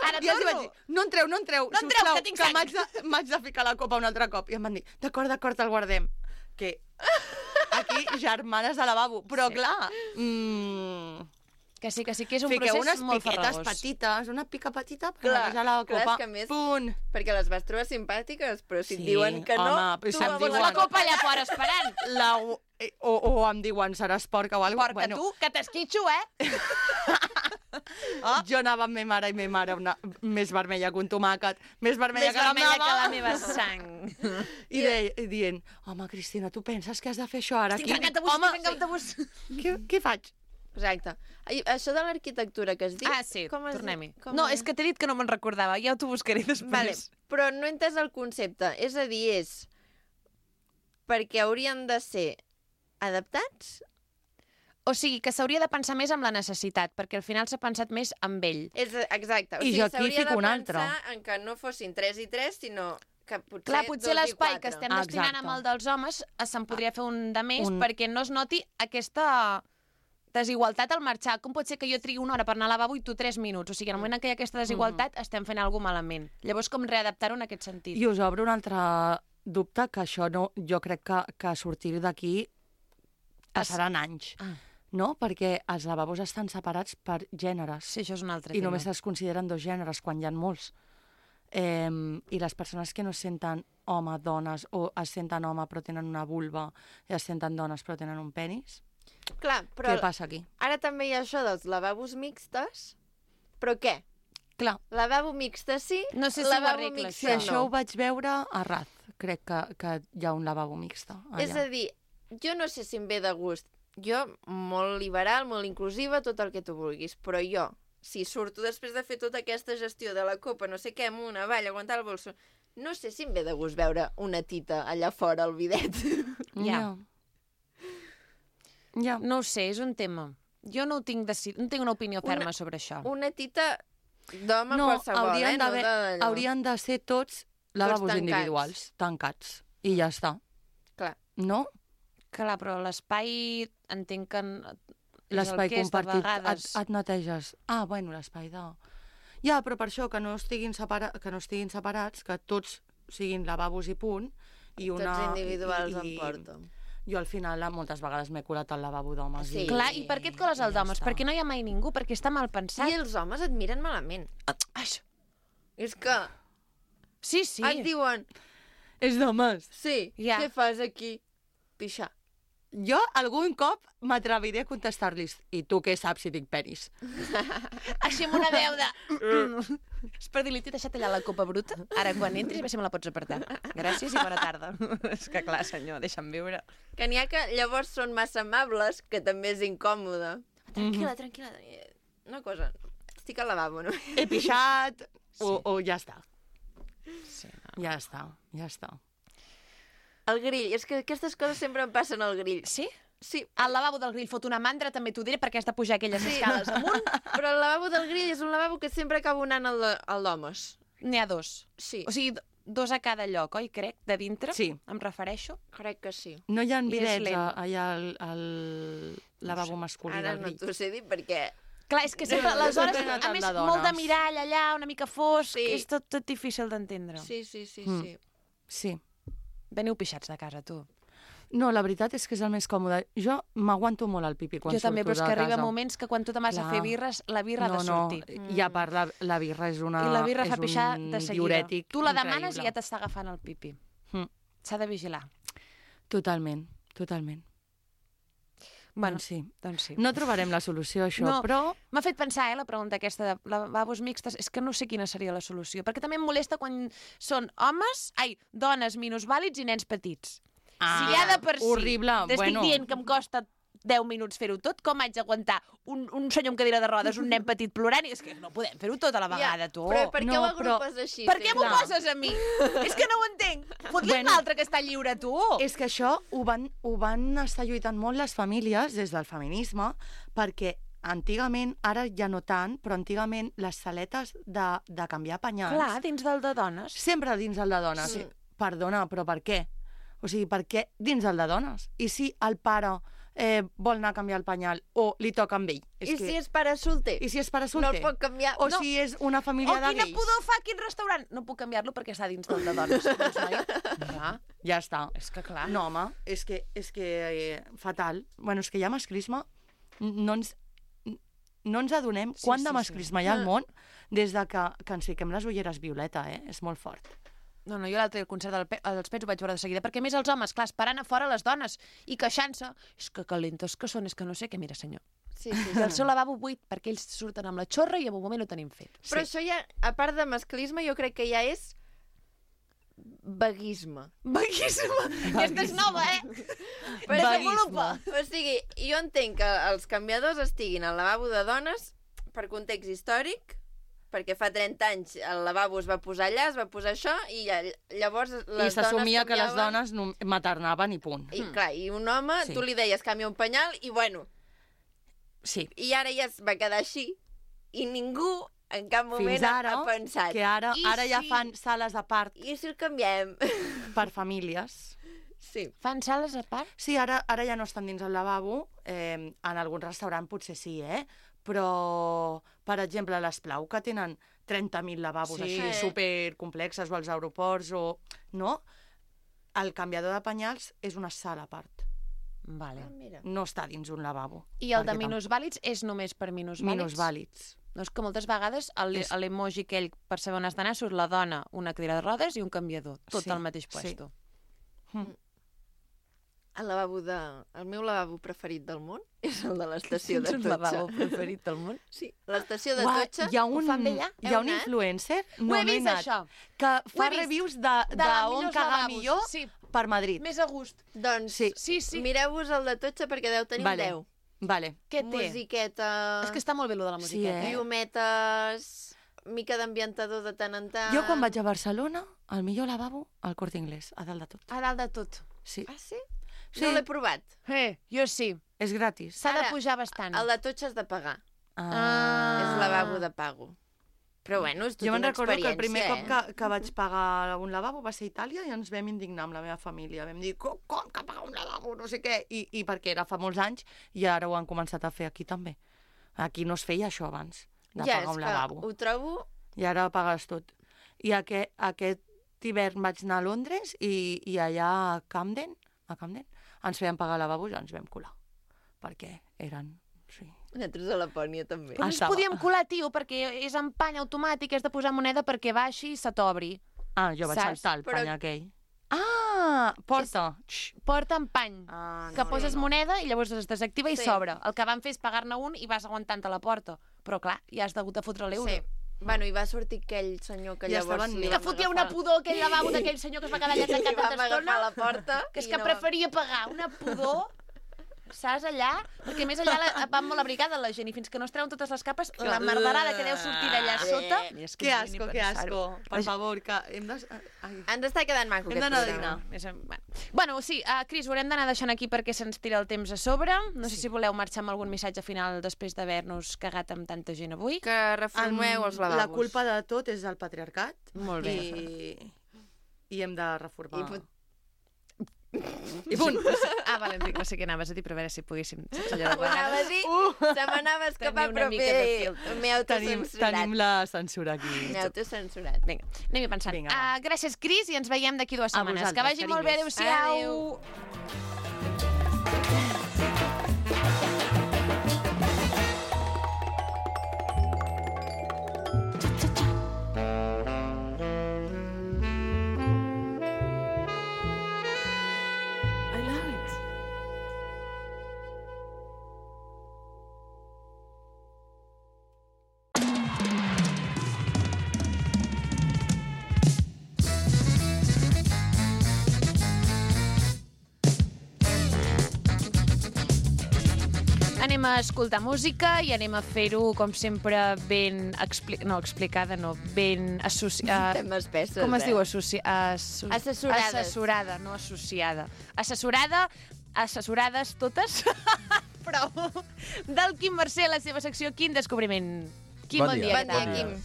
Ara i els vaig dir, no entreu, sisplau, que tinc sang. m'haig de ficar la copa un altre cop. I em van dir, d'acord, el guardem. Que aquí, germanes de lavabo. Però, clar... Que sí, que és un fiqueu procés molt unes piquetes farragós. petites, una pica petita per netejar la copa. És que més, punt. perquè les vas trobar simpàtiques, però si et diuen que no, home, tu la vols la copa allà fora esperant. O em diuen, seràs porca o alguna cosa. Porca tu, que t'esquitxo, Jo anava amb ma mare més vermella que un tomàquet, més vermella que la meva sang. I dient, home, Cristina, tu penses que has de fer això ara aquí? Estic trencant tabús. Què faig? Exacte. Això de l'arquitectura que has dit... Sí, tornem-hi. No, és que t'he dit que no me'n recordava, ja t'ho buscaré després. Vale, però no he entès el concepte. És a dir, és perquè haurien de ser adaptats? O sigui, que s'hauria de pensar més en la necessitat, perquè al final s'ha pensat més en ell. Exacte. I jo aquí fico un altre. S'hauria de pensar en que no fossin 3 i 3, sinó que potser Clar, potser 2 i 4. l'espai que estem destinant amb el dels homes se'n podria fer un de més perquè no es noti aquesta desigualtat al marxar. Com pot ser que jo trigui una hora per anar al lavabo i tu 3 minuts? O sigui, en el moment en què hi ha aquesta desigualtat estem fent alguna cosa malament. Llavors, com readaptar-ho en aquest sentit? I us obro un altre dubte, que això no, jo crec que a sortir d'aquí passaran anys. No? Perquè els lavabos estan separats per gèneres. Sí, això és un altre tema. I tema. només es consideren 2 gèneres, quan hi ha molts. I les persones que no es senten home, dones, o es senten home però tenen una vulva, i es senten dones però tenen un penis... Clar, però què passa aquí? Ara també hi ha això dels lavabos mixtes, però què? Clar. Lavabo mixte sí, no sé si lavabo mixte no. Això ho vaig veure a Raz, crec que hi ha un lavabo mixte allà. És a dir, jo no sé si em ve de gust. Jo, molt liberal, molt inclusiva, tot el que tu vulguis, però jo, si surto després de fer tota aquesta gestió de la copa, no sé què, amunt, avall, aguantar el bolso, no sé si em ve de gust veure una tita allà fora al bidet. Ja. No ho sé, és un tema. Jo no tinc una opinió ferma sobre això. Una tita d'home qualsevol, haurien de ser tots lavabos individuals, tancats, i ja està. Clar. No? Clar, però l'espai entenc que... L'espai compartit, et neteges. Bueno, l'espai de... Ja, però per això, que no estiguin separats, que tots siguin lavabos i punt, i una... Tots individuals em porto. Jo al final moltes vegades m'he colat al lavabo d'homes. Sí. Clar, i per què et coles al d'homes? Perquè no hi ha mai ningú, perquè està mal pensat. I els homes et miren malament. Ai, És que sí. et diuen, És d'homes. sí, Ja. què fas aquí? Pixar. Jo algun cop m'atreviré a contestar-los i tu què saps si tinc penis? Així amb una veu de... És per dir-li, t'he deixat allà la copa bruta, ara quan entris a veure si me la pots apartar. Gràcies i bona tarda. És que clar, senyor, deixa'm viure. Que n'hi ha que llavors són massa amables, que també és incòmode. Tranquil·la. Una cosa, estic al lavabo, no? He pixat o ja està. Sí, no. Ja està. El grill, és que aquestes coses sempre em passen al grill. Sí? Sí, Al lavabo del grill fot una mandra, també t'ho diré, perquè has de pujar aquelles escales amunt. però el lavabo del grill és un lavabo que sempre acabo anant al d'homes. N'hi ha dos. Sí, O sigui, dos a cada lloc, oi, crec, de dintre? Sí. Em refereixo. crec que sí. No hi ha I és bidets lent. allà al lavabo masculí Ara del no grill. t'ho sé dir perquè... Clar, és que sempre, aleshores, Sempre a més, de molt de dones. mirall allà, una mica fosc, Sí. és tot difícil d'entendre. Sí. Sí. Veniu pixats de casa, tu. No, la veritat és que és el més còmode. Jo m'aguanto molt al pipi quan Jo també, surto però és de que arriba casa. moments que quan tu te vas a Clar. fer birres, la birra ha de sortir. I a part, la birra és una... I la birra fa és pixar un de seguida. diürètic Tu la demanes increïble. i ja t'està agafant el pipi. Mm. S'ha de vigilar. Totalment. Bueno, doncs sí. sí. No trobarem la solució a això, No. però... M'ha fet pensar, la pregunta aquesta de lavabos mixtes, és que no sé quina seria la solució, perquè també em molesta quan són dones minusvàlids i nens petits. Si ja de per si horrible. t'estic Bueno, dient que em costa 10 minuts fer-ho tot, com haig d'aguantar un senyor amb cadira de rodes, un nen petit plorant, i és que no podem fer-ho tot a la vegada, tu. Però per què No, ho agrupes així? Per què m'ho sempre? poses a mi? És que no ho entenc. Fot-li Bueno, un altre que està lliure, tu. És que això ho van estar lluitant molt les famílies des del feminisme, perquè antigament, ara ja no tant, però antigament les saletes de canviar penyals... Clar, dins del de dones. Sempre dins el de dones. Sí. Perdona, però per què? O sigui, per què dins el de dones? I si el pare vol anar a canviar el penyal o li toca amb ell? I si és pare solter? I si és pare No solter? el pot canviar? O No. si és una família de quina gais? pudor fa, quin restaurant. No puc canviar-lo perquè està dins del de dones. Doncs, noi, clar, Ja està. és que clar. No, home, és que fatal. Bueno, és que hi ha masclisme. No ens adonem Sí, quant sí, de sí. masclisme hi ha al món des de que ens fiquem les ulleres violeta, És molt fort. No, jo l'altre dia al concert dels Pets ho vaig veure de seguida, perquè a més els homes, clar, esperant a fora les dones i queixant-se, és que calentes que són, és que no sé què, mira senyor. Sí. I el seu lavabo buit, perquè ells surten amb la xorra i en un moment ho tenim fet. Però això ja, a part de masclisme, jo crec que ja és vaguisme. Vaguíssima! Aquesta és nova, Desenvolupa. O sigui, jo entenc que els canviadors estiguin al lavabo de dones per context històric, perquè fa 30 anys el lavabo es va posar allà, es va posar això, i llavors les dones I s'assumia que les canviaven. dones maternaven i punt. I clar, i un home, Sí. tu li deies canvia un penyal, i bueno, Sí. i ara ja es va quedar així, i ningú en cap moment Fins ara, ha pensat. que ara ja si- fan sales a part I si el canviem? per famílies. Sí. Fan sales a part? Sí, ara ja no estan dins el lavabo, en algun restaurant potser sí, però, per exemple, a l'Esplau, que tenen 30.000 lavabos Sí. així supercomplexes, o als aeroports, no? El canviador de penyals és una sala a part. Vale. Mira. No està dins un lavabo. I el de perquè minusvàlids és només per minusvàlids? Minusvàlids. No, és que moltes vegades a l'emoji aquell per saber on has d'anar surt la dona, una cadira de rodes i un canviador, tot Sí, al mateix sí. puesto. El meu lavabo preferit del món és el de l'estació de Tens un Totxa. lavabo preferit del món? Sí, l'estació de Uah, Totxa. hi ha un, fan bé allà? hi ha Heu un anat? influencer, Ho he no he vist, anat, això. que Ho he fa vist. reviews De d'on millors cagar lavabos. millor Sí, per Madrid. més a gust. Doncs Sí. Sí. mireu-vos el de Totxa perquè deu tenir Vale. un 10. Vale. Què té? Musiqueta, És que està molt bé lo de la Sí, musiqueta. llumetes, mica d'ambientador de tant en tant. Jo quan vaig a Barcelona, el millor lavabo, al Corte Inglés, a dalt de tot. A dalt de tot. Sí. Ah, sí? Sí. No l'he provat. Jo sí. És gratis. S'ha de Ara, pujar bastant. El de Totxa has de pagar. Ah. És lavabo de pago. Però bueno, és tota Jo me'n una recordo que el experiència, primer cop que vaig pagar un lavabo va ser a Itàlia i ens vam indignar amb la meva família. Vam dir, com que pagar un lavabo, no sé què, i perquè era fa molts anys i ara ho han començat a fer aquí també. Aquí no es feia això abans, de Ja, pagar és un que lavabo. ho trobo I ara pagues tot. I aquest hivern vaig anar a Londres i allà a Camden ens feien pagar lavabos i ens vam colar. Perquè eren... Sí. Nosaltres a Lapònia també. Però no ens podíem colar, tio, perquè és en pany automàtic, has de posar moneda perquè baixi i se t'obri. Ah, jo vaig saltar el pany aquell. Ah, porta. Porta en pany, que poses moneda i llavors es desactiva i s'obre. El que van fer és pagar-ne un i vas aguantant a la porta. Però clar, ja has hagut de fotre l'euro. Sí. Bueno, i va sortir aquell senyor que llavors... Que fotia una pudor aquell lavabo d'aquell senyor que es va quedar allà tancat tanta estona. I vam agafar la porta. Que és que preferia pagar una pudor... Saps, allà? Perquè més allà van molt abrigada la gent i fins que no es treuen totes les capes, la merderada que deu sortir d'allà sota... Que asco, que asco. Per favor, que hem de... Ens està quedant maco aquest programa. Bueno, sí, Cris, ho haurem d'anar deixant aquí perquè se'ns tira el temps a sobre. No sé si voleu marxar amb algun missatge final després d'haver-nos cagat amb tanta gent avui. Que reformeu els lavabos. La culpa de tot és el patriarcat. Molt bé. I hem de reformar... I punt. Vale, Enric, no sé què anaves a dir, però a veure si poguéssim... Ho anava a dir, se m'anava a escapar, però m'he autocensurat. Tenim la censura aquí. M'he autocensurat. Vinga, anem-hi pensant. Gràcies, Cris, i ens veiem d'aquí 2 setmanes. Que vagi molt bé, adéu-siau. Anem a escoltar música i anem a fer-ho, com sempre, ben explicada, no, ben associada. Com es diu? Assessorades. Assessorada, no associada. Assessorades totes. Prou. Del Quim Mercè, la seva secció Quin Descobriment. Quim, bon dia. Quim.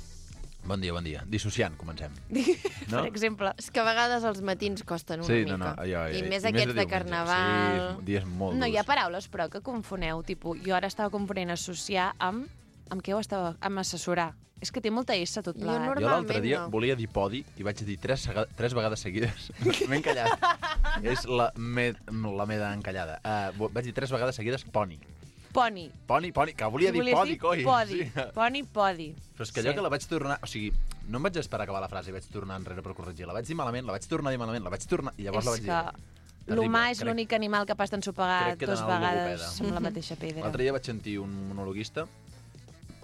Bon dia. Dissociant, comencem. Per exemple. És que a vegades els matins costen una mica. I més aquests de carnaval. Sí, dies molt durs. No, hi ha paraules, però, que confoneu. Jo ara estava confonent associar amb... Amb què ho estava? Amb assessorar. És que té molta S tot plegat. Jo l'altre dia volia dir podi i vaig dir 3 vegades seguides. M'he encallat. És la meda encallada. Vaig dir 3 vegades seguides poni. Poni, que volia dir podi, coi. Podi. Però és que allò que la vaig tornar... O sigui, no em vaig esperar a acabar la frase i vaig tornar enrere per corregir. La vaig dir malament, la vaig tornar a dir malament, la vaig tornar... I llavors la vaig dir... L'humà és l'únic animal capaç d'ensopegar 2 vegades amb la mateixa pedra. L'altre dia vaig sentir un monologuista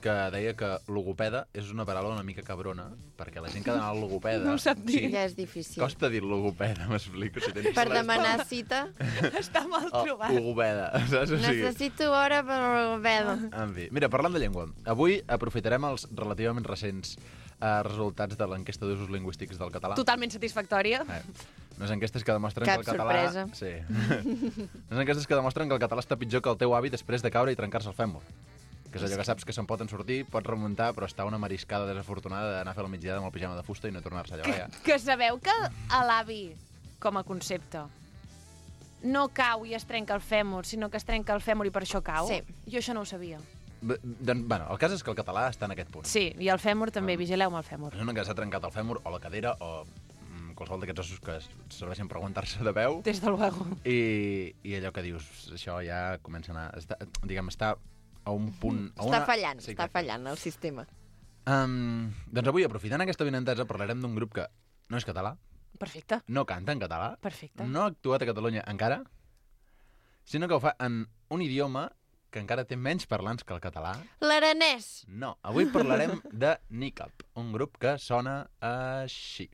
que deia que logopeda és una paraula una mica cabrona, perquè la gent que ha d'anar al logopeda... No ho sap dir. Ja és difícil. Costa dir logopeda, m'explico. Per demanar cita. Està mal trobat. Logopeda, saps? Necessito hora per logopeda. En fi, mira, parlant de llengua, avui aprofitarem els relativament recents resultats de l'enquesta d'usos lingüístics del català. Totalment satisfactòria. Unes enquestes que demostren que el català... Cap sorpresa. Sí. Unes enquestes que demostren que el català està pitjor que el teu avi després de caure i trencar-se el fèmur. Que és allò que saps que se'n poden sortir, pots remuntar, però està una mariscada desafortunada d'anar a fer la migdiada amb el pijama de fusta i no tornar-se allà. Que sabeu que a l'avi, com a concepte, no cau i es trenca el fèmur, sinó que es trenca el fèmur i per això cau? Sí. Jo això no ho sabia. Bueno, el cas és que el català està en aquest punt. Sí, i el fèmur també, vigileu amb el fèmur. És una que s'ha trencat el fèmur o la cadera o qualsevol d'aquests ossos que serveixen per aguantar-se de peu. Des de luego. I allò que dius, això ja comença a anar... Diguem, està a un punt... Està fallant el sistema. Doncs avui, aprofitant aquesta benentesa, parlarem d'un grup que no és català. Perfecte. No canta en català. Perfecte. No ha actuat a Catalunya encara, sinó que ho fa en un idioma que encara té menys parlants que el català. L'aranès. No, avui parlarem de Nikab, un grup que sona així.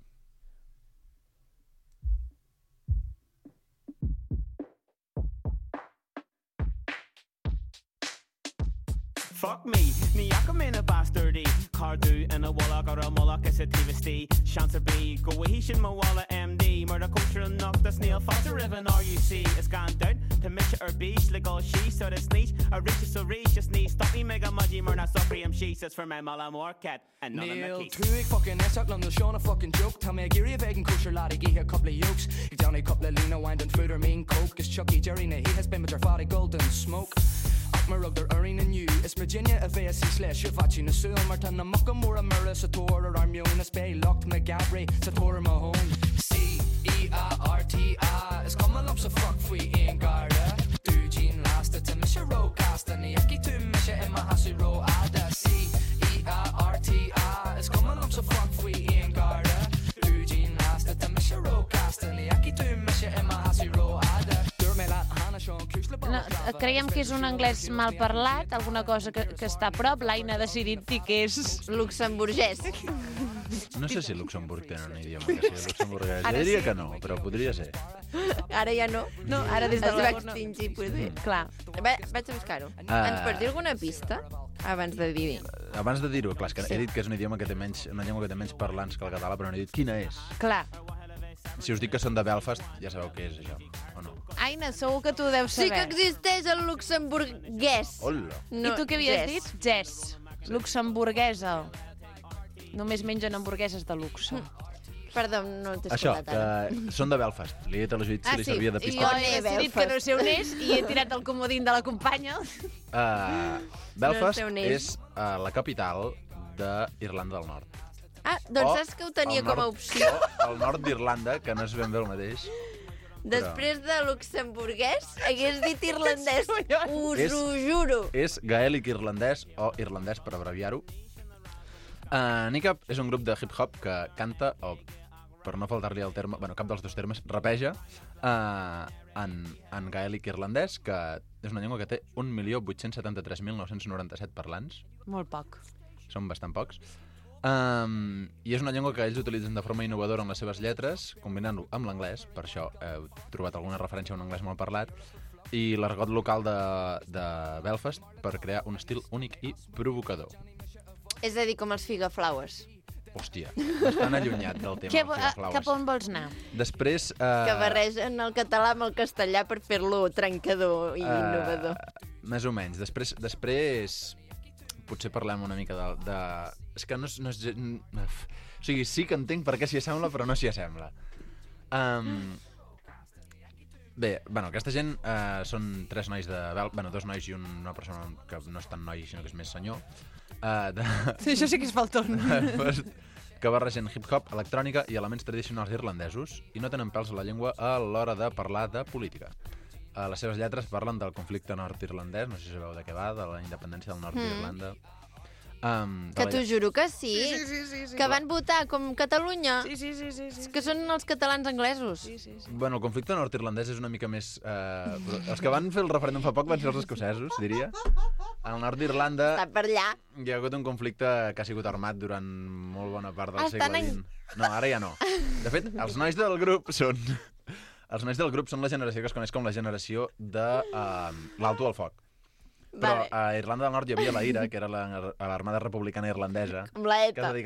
Fuck me, ni jag kommer in a bastardi Cardu en a walla gar a mulla Kessetivesti Chancer B Go a hishin ma walla MD Murder culture enough Das neil foster riven RUC It's gone down To mitcha or beach Like all she So the sneeze A reach so reach Just need Stop me mega mudgy Murna sopri she Says for my mala more cat And none of my keys Neil fucking Essak London Sean a fucking joke Tell me a geary vegan kosher laddie Give here a couple of yokes Give down a couple of Lena Wine and food or mean coke Cause Chucky Jerry He has been with her fatty golden smoke rugder erin and you is Virginia a vesi slash vachi na summer tan na muckamora mura sa tor ar mion na spay locked me gabri sa tor mahon C-E-A-R-T-I is come along so fuck free in garda do gene last to misha ro cast and yaki to misha in my hasi ro ada C-E-A-R-T-I is come along so fuck free in garda do gene last to misha ro cast and yaki to misha in my hasi ro ada. No, creiem que és un anglès mal parlat, alguna cosa que està a prop. L'Aina ha decidit dir que és luxemburgès. No sé si Luxemburg tenen un idioma que sigui luxemburguès. Jo diria que no, però podria ser. Ara ja no. No, ara des de es va extingir, potser. Clar. Vaig a buscar-ho. Ens pots dir alguna pista abans de dir-hi? Abans de dir-ho, clar, és que he dit que és un idioma que té menys, una llengua que té menys parlants que el català, però no he dit quina és. Clar. Si us dic que són de Belfast, ja sabeu què és això, o no? Aina, segur que tu deus saber. Sí que existeix el luxemburguès. Hola. No, I tu què havies dit? Jess. Luxemburguesa. Només mengen hamburgueses de luxe. Perdó, no t'he això, escoltat ara. que són de Belfast. Li he dit a la Judit si li servia de I pista. jo he decidit que no sé on és i he tirat el comodín de la companya. Belfast No sé on és la capital d'Irlanda del Nord. Ah, doncs saps que ho tenia com a opció? El nord d'Irlanda, que no és ben bé el mateix. Després de luxemburguès, hagués dit irlandès. Us ho juro. És gaèlic irlandès o irlandès, per abreviar-ho. Nicap és un grup de hip-hop que canta, o per no faltar-li el terme, bueno, cap dels dos termes, rapeja en gaèlic irlandès, que és una llengua que té 1.873.997 parlants. Molt poc. Són bastant pocs. I és una llengua que ells utilitzen de forma innovadora en les seves lletres, combinant-ho amb l'anglès, per això heu trobat alguna referència a un anglès molt parlat, i l'argot local de Belfast per crear un estil únic i provocador. És a dir, com els Figaflowers. Hòstia, estan allunyat del tema dels Figaflowers. Cap on vols anar? Després... Que barregen el català amb el castellà per fer-lo trencador i innovador. Més o menys. Després potser parlem una mica de... És que no és... O sigui, sí que entenc per què s'hi assembla, però no s'hi assembla. Bé, bueno, aquesta gent són tres nois dos nois i una persona que no és tan noi, sinó que és més senyor. Sí, això sí que és falton. Que barregen hip-hop, electrònica i elements tradicionals irlandesos i no tenen pèls a la llengua a l'hora de parlar de política. Les seves lletres parlen del conflicte nord-irlandès, no sé si sabeu de què va, de la independència del nord d'Irlanda. Que t'ho juro que sí. Sí. Que van votar com Catalunya. Sí. Que són els catalans anglesos. Sí. Bueno, el conflicte nord-irlandès és una mica més... Els que van fer el referèndum fa poc van ser els escocesos, diria. Al nord d'Irlanda Està per allà. hi ha hagut un conflicte que ha sigut armat durant molt bona part del segle XX. No, ara ja no. De fet, els nois del grup són la generació que es coneix com la generació de l'alto al foc. Però a Irlanda del Nord hi havia la IRA, que era l'armada republicana irlandesa, Com la ETA. que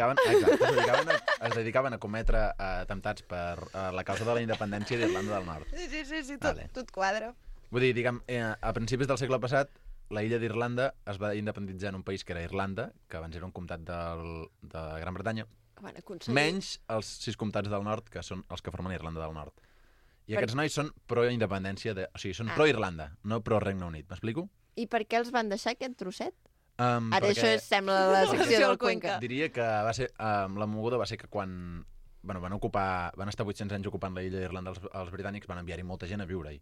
es dedicaven a cometre atemptats per la causa de la independència d'Irlanda del Nord. Sí, tot quadra. Vull dir, diguem, a principis del segle passat, la illa d'Irlanda es va independitzar en un país que era Irlanda, que abans era un comtat de Gran Bretanya, menys els 6 comtats del nord, que són els que formen Irlanda del Nord. I aquests nois són pro-independència, o sigui, són pro-Irlanda, no pro-Regne Unit. M'explico? I per què els van deixar aquest trosset? Ara perquè això sembla la secció del Cuenca. Diria que va ser, la moguda va ser que quan van estar 800 anys ocupant la illa d'Irlanda els britànics, van enviar-hi molta gent a viure-hi.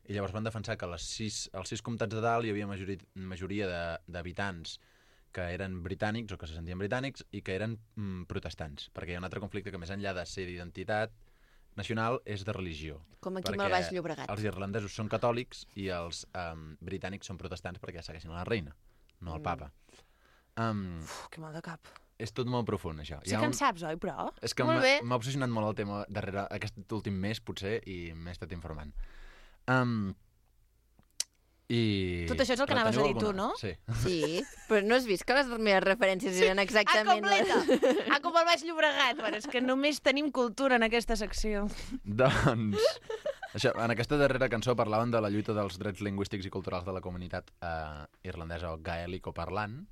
I llavors van defensar que als 6 comtats de dalt hi havia majoria d'habitants que eren britànics o que se sentien britànics i que eren protestants, perquè hi ha un altre conflicte que més enllà de ser d'identitat nacional és de religió. Com aquí amb el Baix Llobregat. Els irlandesos són catòlics i els britànics són protestants perquè segueixen la reina, no el papa. Que mal de cap. És tot molt profund, això. Sí que en saps, oi, però? És que m'ha obsessionat molt el tema darrere aquest últim mes, potser, i m'he estat informant. Tot això és el que anaves a dir tu, no? Sí. Sí, però no has vist que les meves referències eren exactament... Com el Baix Llobregat. Bueno, és que només tenim cultura en aquesta secció. Doncs, això, en aquesta darrera cançó parlaven de la lluita dels drets lingüístics i culturals de la comunitat irlandesa o gaèlico-parlant,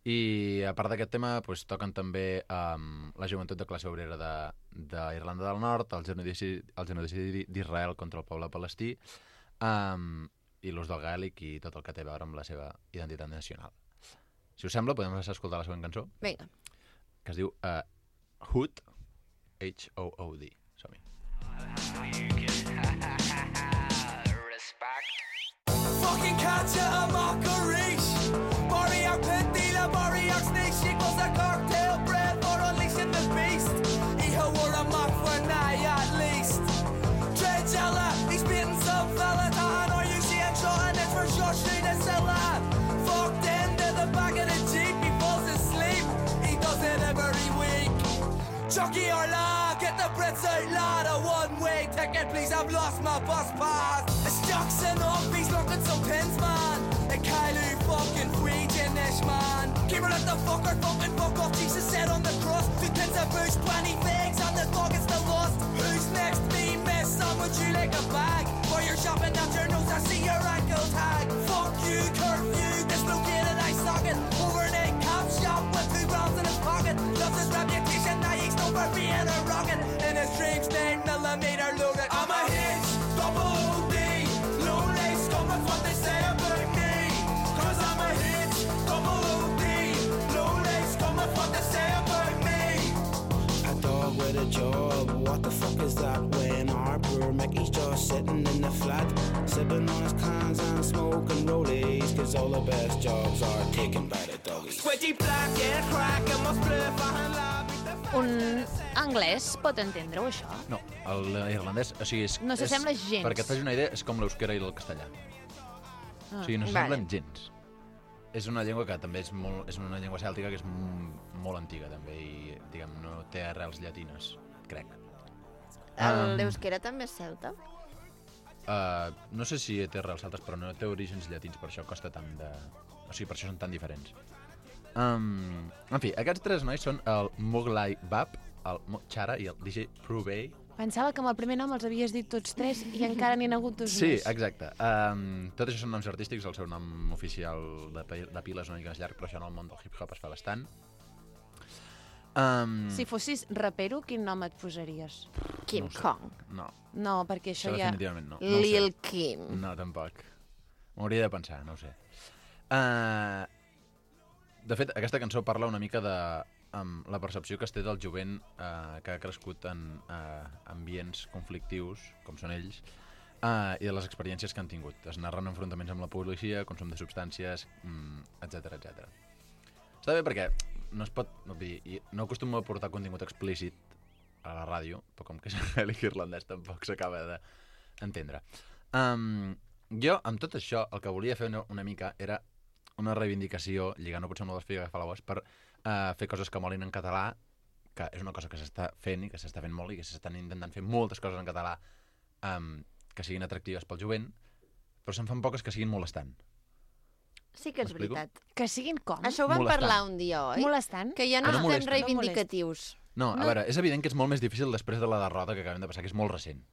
i a part d'aquest tema toquen també la joventut de classe obrera d'Irlanda del Nord, el genocidi d'Israel contra el poble palestí, i l'ús del gaèlic i tot el que té a veure amb la seva identitat nacional. Si us sembla, podem escoltar la següent cançó. Vinga. Que es diu Hood, H-O-O-D. Som-hi. Fucking catch a mockery. Moriarty Pentila, Moriarty snake, she goes a cocktail bread for unleashing the beast. He wore a mock for night at least. Dreadjella, he's beating some fella down, or you see him shot and it's for sure straight to Silla. Fucked into the back of the Jeep, he falls asleep. He does it every week. Chucky or la, get the Brits out, lad. A one-way ticket, please, I've lost my bus pass. It's Jackson up, he's looking some pins, man. And Kylie fucking Freakin-ish, man. Keep her at the fucker, fucking fuck off. Jesus said on the cross, 2 pins of booze, 20 figs, and the dog is the lost. Who's next? Me, miss, someone you like a bag. For your shopping out your nose, I see your ankle tag. Fuck you, curfew, dislocated eye socket. Overnight cop shop with 2 rounds in his pocket. Loves his reputation, now he's known for being a rocket. In his dreams, 9mm loaded. I'm a hitch, double OD. Lonely scum, that's what they say about me. Cause I'm a hitch, double OD. Lonely scum, that's what they say about me. A dog with a job, what the fuck is that? When our poor Mickey's just sitting in the flat, sipping on his cans and smoking rollies. Cause all the best jobs are taken by the doggies. Sweaty black and crack and my spliff behind lab. Un anglès pot entendre-ho, això? No, l'irlandès, o sigui... No s'assembla gens. Perquè et facis una idea, és com l'euskera i el castellà. O sigui, no s'assemblen gens. És una llengua que també és una llengua cèltica que és molt antiga, també, i, diguem, no té arrels llatines, crec. L'euskera també és celta? No sé si té arrels celtes, però no té orígens llatins, per això costa tant de... O sigui, per això són tan diferents. En fi, aquests 3 nois són el Moglai Bab, el Chara i el DJ Prubey. Pensava que amb el primer nom els havies dit tots 3 i encara n'hi ha hagut 2 més. Sí, exacte. Tot això són noms artístics, el seu nom oficial de pila és una mica més llarg, però això en el món del hip-hop es fa bastant. Si fossis rapero, quin nom et posaries? Kim Kong. No. No, perquè això ja... Definitivament no. Lil Kim. No, tampoc. M'hauria de pensar, no ho sé. De fet, aquesta cançó parla una mica de la percepció que es té del jovent que ha crescut en ambients conflictius, com són ells, i de les experiències que han tingut. Es narren enfrontaments amb la policia, consum de substàncies, etc etc. Està bé perquè no es pot... No acostumo a portar contingut explícit a la ràdio, però com que és gaèlic irlandès tampoc s'acaba d'entendre. Jo, amb tot això, el que volia fer una mica era una reivindicació, lligant-ho potser amb la d'Espiga que fa la voz, per fer coses que molin en català, que és una cosa que s'està fent i que s'està fent molt i que s'estan intentant fer moltes coses en català que siguin atractives pel jovent, però se'n fan poques que siguin molestant. Sí que és veritat. Que siguin com? Això ho vam parlar un dia, oi? Molestant? Que ja no estem reivindicatius. No, a veure, és evident que és molt més difícil després de la derrota que acabem de passar, que és molt recent.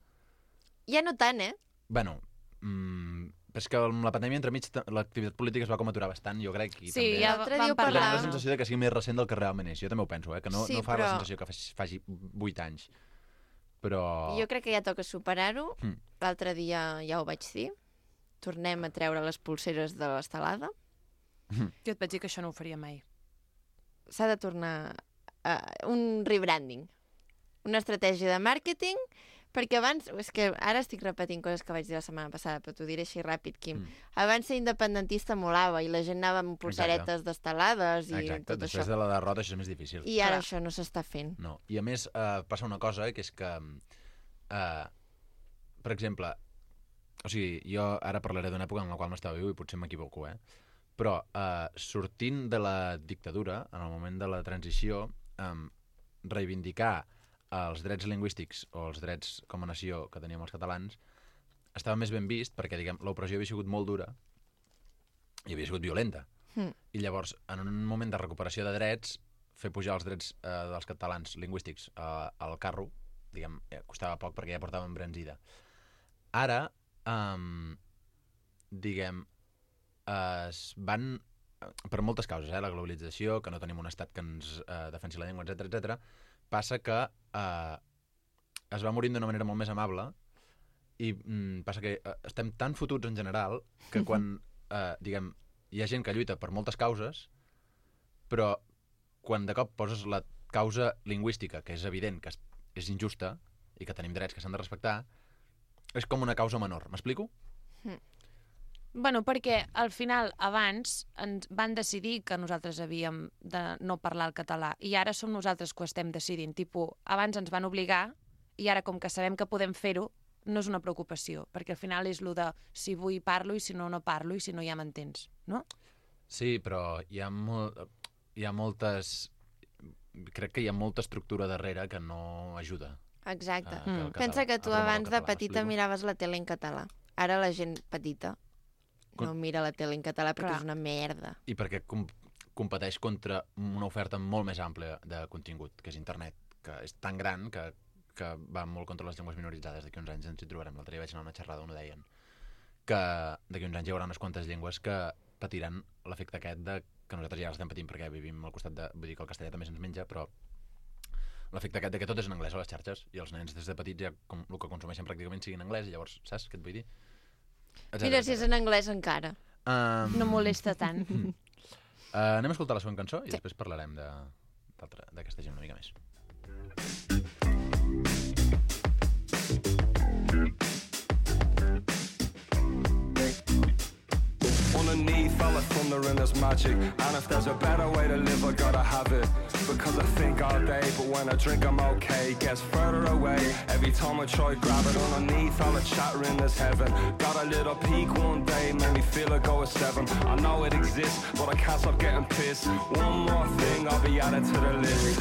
Ja no tant, Bueno, és que amb la pandèmia entremig l'activitat política es va com aturar bastant, jo crec. I sí, també ja vam parlar. Tinc la sensació que sigui més recent del que realment és. Jo també ho penso, que no fa la sensació que faci 8 anys. Però... Jo crec que ja toca superar-ho. L'altre dia ja ho vaig dir. Tornem a treure les pulseres de l'estelada. Jo et vaig dir que això no ho faria mai. S'ha de tornar a un rebranding. Una estratègia de màrqueting. Perquè abans, és que ara estic repetint coses que vaig dir la setmana passada, però t'ho diré així ràpid, Quim. Abans ser independentista molava i la gent anava amb pulseretes d'estelades i tot això. Exacte, després de la derrota això és més difícil. I ara això no s'està fent. No, i a més passa una cosa, que és que, per exemple, o sigui, jo ara parlaré d'una època en la qual no estava viu i potser m'equivoco, però sortint de la dictadura, en el moment de la transició, reivindicar els drets lingüístics o els drets com a nació que teníem els catalans estava més ben vist perquè, diguem, l'opressió havia sigut molt dura i havia sigut violenta. I llavors, en un moment de recuperació de drets, fer pujar els drets dels catalans lingüístics al carro, diguem, costava poc perquè ja portàvem embranzida. Ara, diguem, es van, per moltes causes, la globalització, que no tenim un estat que ens defensi la llengua, etc, passa que es va morint d'una manera molt més amable I passa que estem tan fotuts en general que quan, diguem, hi ha gent que lluita per moltes causes, però quan de cop poses la causa lingüística, que és evident que és injusta i que tenim drets que s'han de respectar, és com una causa menor. M'explico? Bueno, perquè al final, abans, ens van decidir que nosaltres havíem de no parlar el català i ara som nosaltres que ho estem decidint. Abans ens van obligar i ara, com que sabem que podem fer-ho, no és una preocupació, perquè al final és el de si vull parlo i si no, no parlo i si no ja m'entens, no? Sí, però hi ha moltes... Crec que hi ha molta estructura darrere que no ajuda. Exacte. Pensa que tu abans de petita miraves la tele en català. Ara la gent petita no mira la tele en català perquè és una merda. I perquè competeix contra una oferta molt més àmplia de contingut, que és internet, que és tan gran que va molt contra les llengües minoritzades. D'aquí uns anys ens hi trobarem. L'altre dia vaig anar a una xerrada on ho deien. Que d'aquí uns anys hi haurà unes quantes llengües que patiran l'efecte aquest de que nosaltres ja l'estem patint perquè vivim al costat de... Vull dir que el castellà també se'ns menja, però l'efecte aquest de que tot és en anglès a les xarxes i els nens des de petits ja el que consumeixen pràcticament sigui en anglès i llavors, saps què et vull dir? Mira, si és en anglès encara. No molesta tant. Anem a escoltar la següent cançó i després parlarem d'aquesta gent una mica més. Underneath all the thunder and there's magic, and if there's a better way to live I gotta have it, because I think all day but when I drink I'm okay, gets further away every time I try grab it. Underneath all the chattering there's heaven, got a little peak one day, made me feel I go a 7. I know it exists but I can't stop getting pissed. One more thing I'll be added to the list.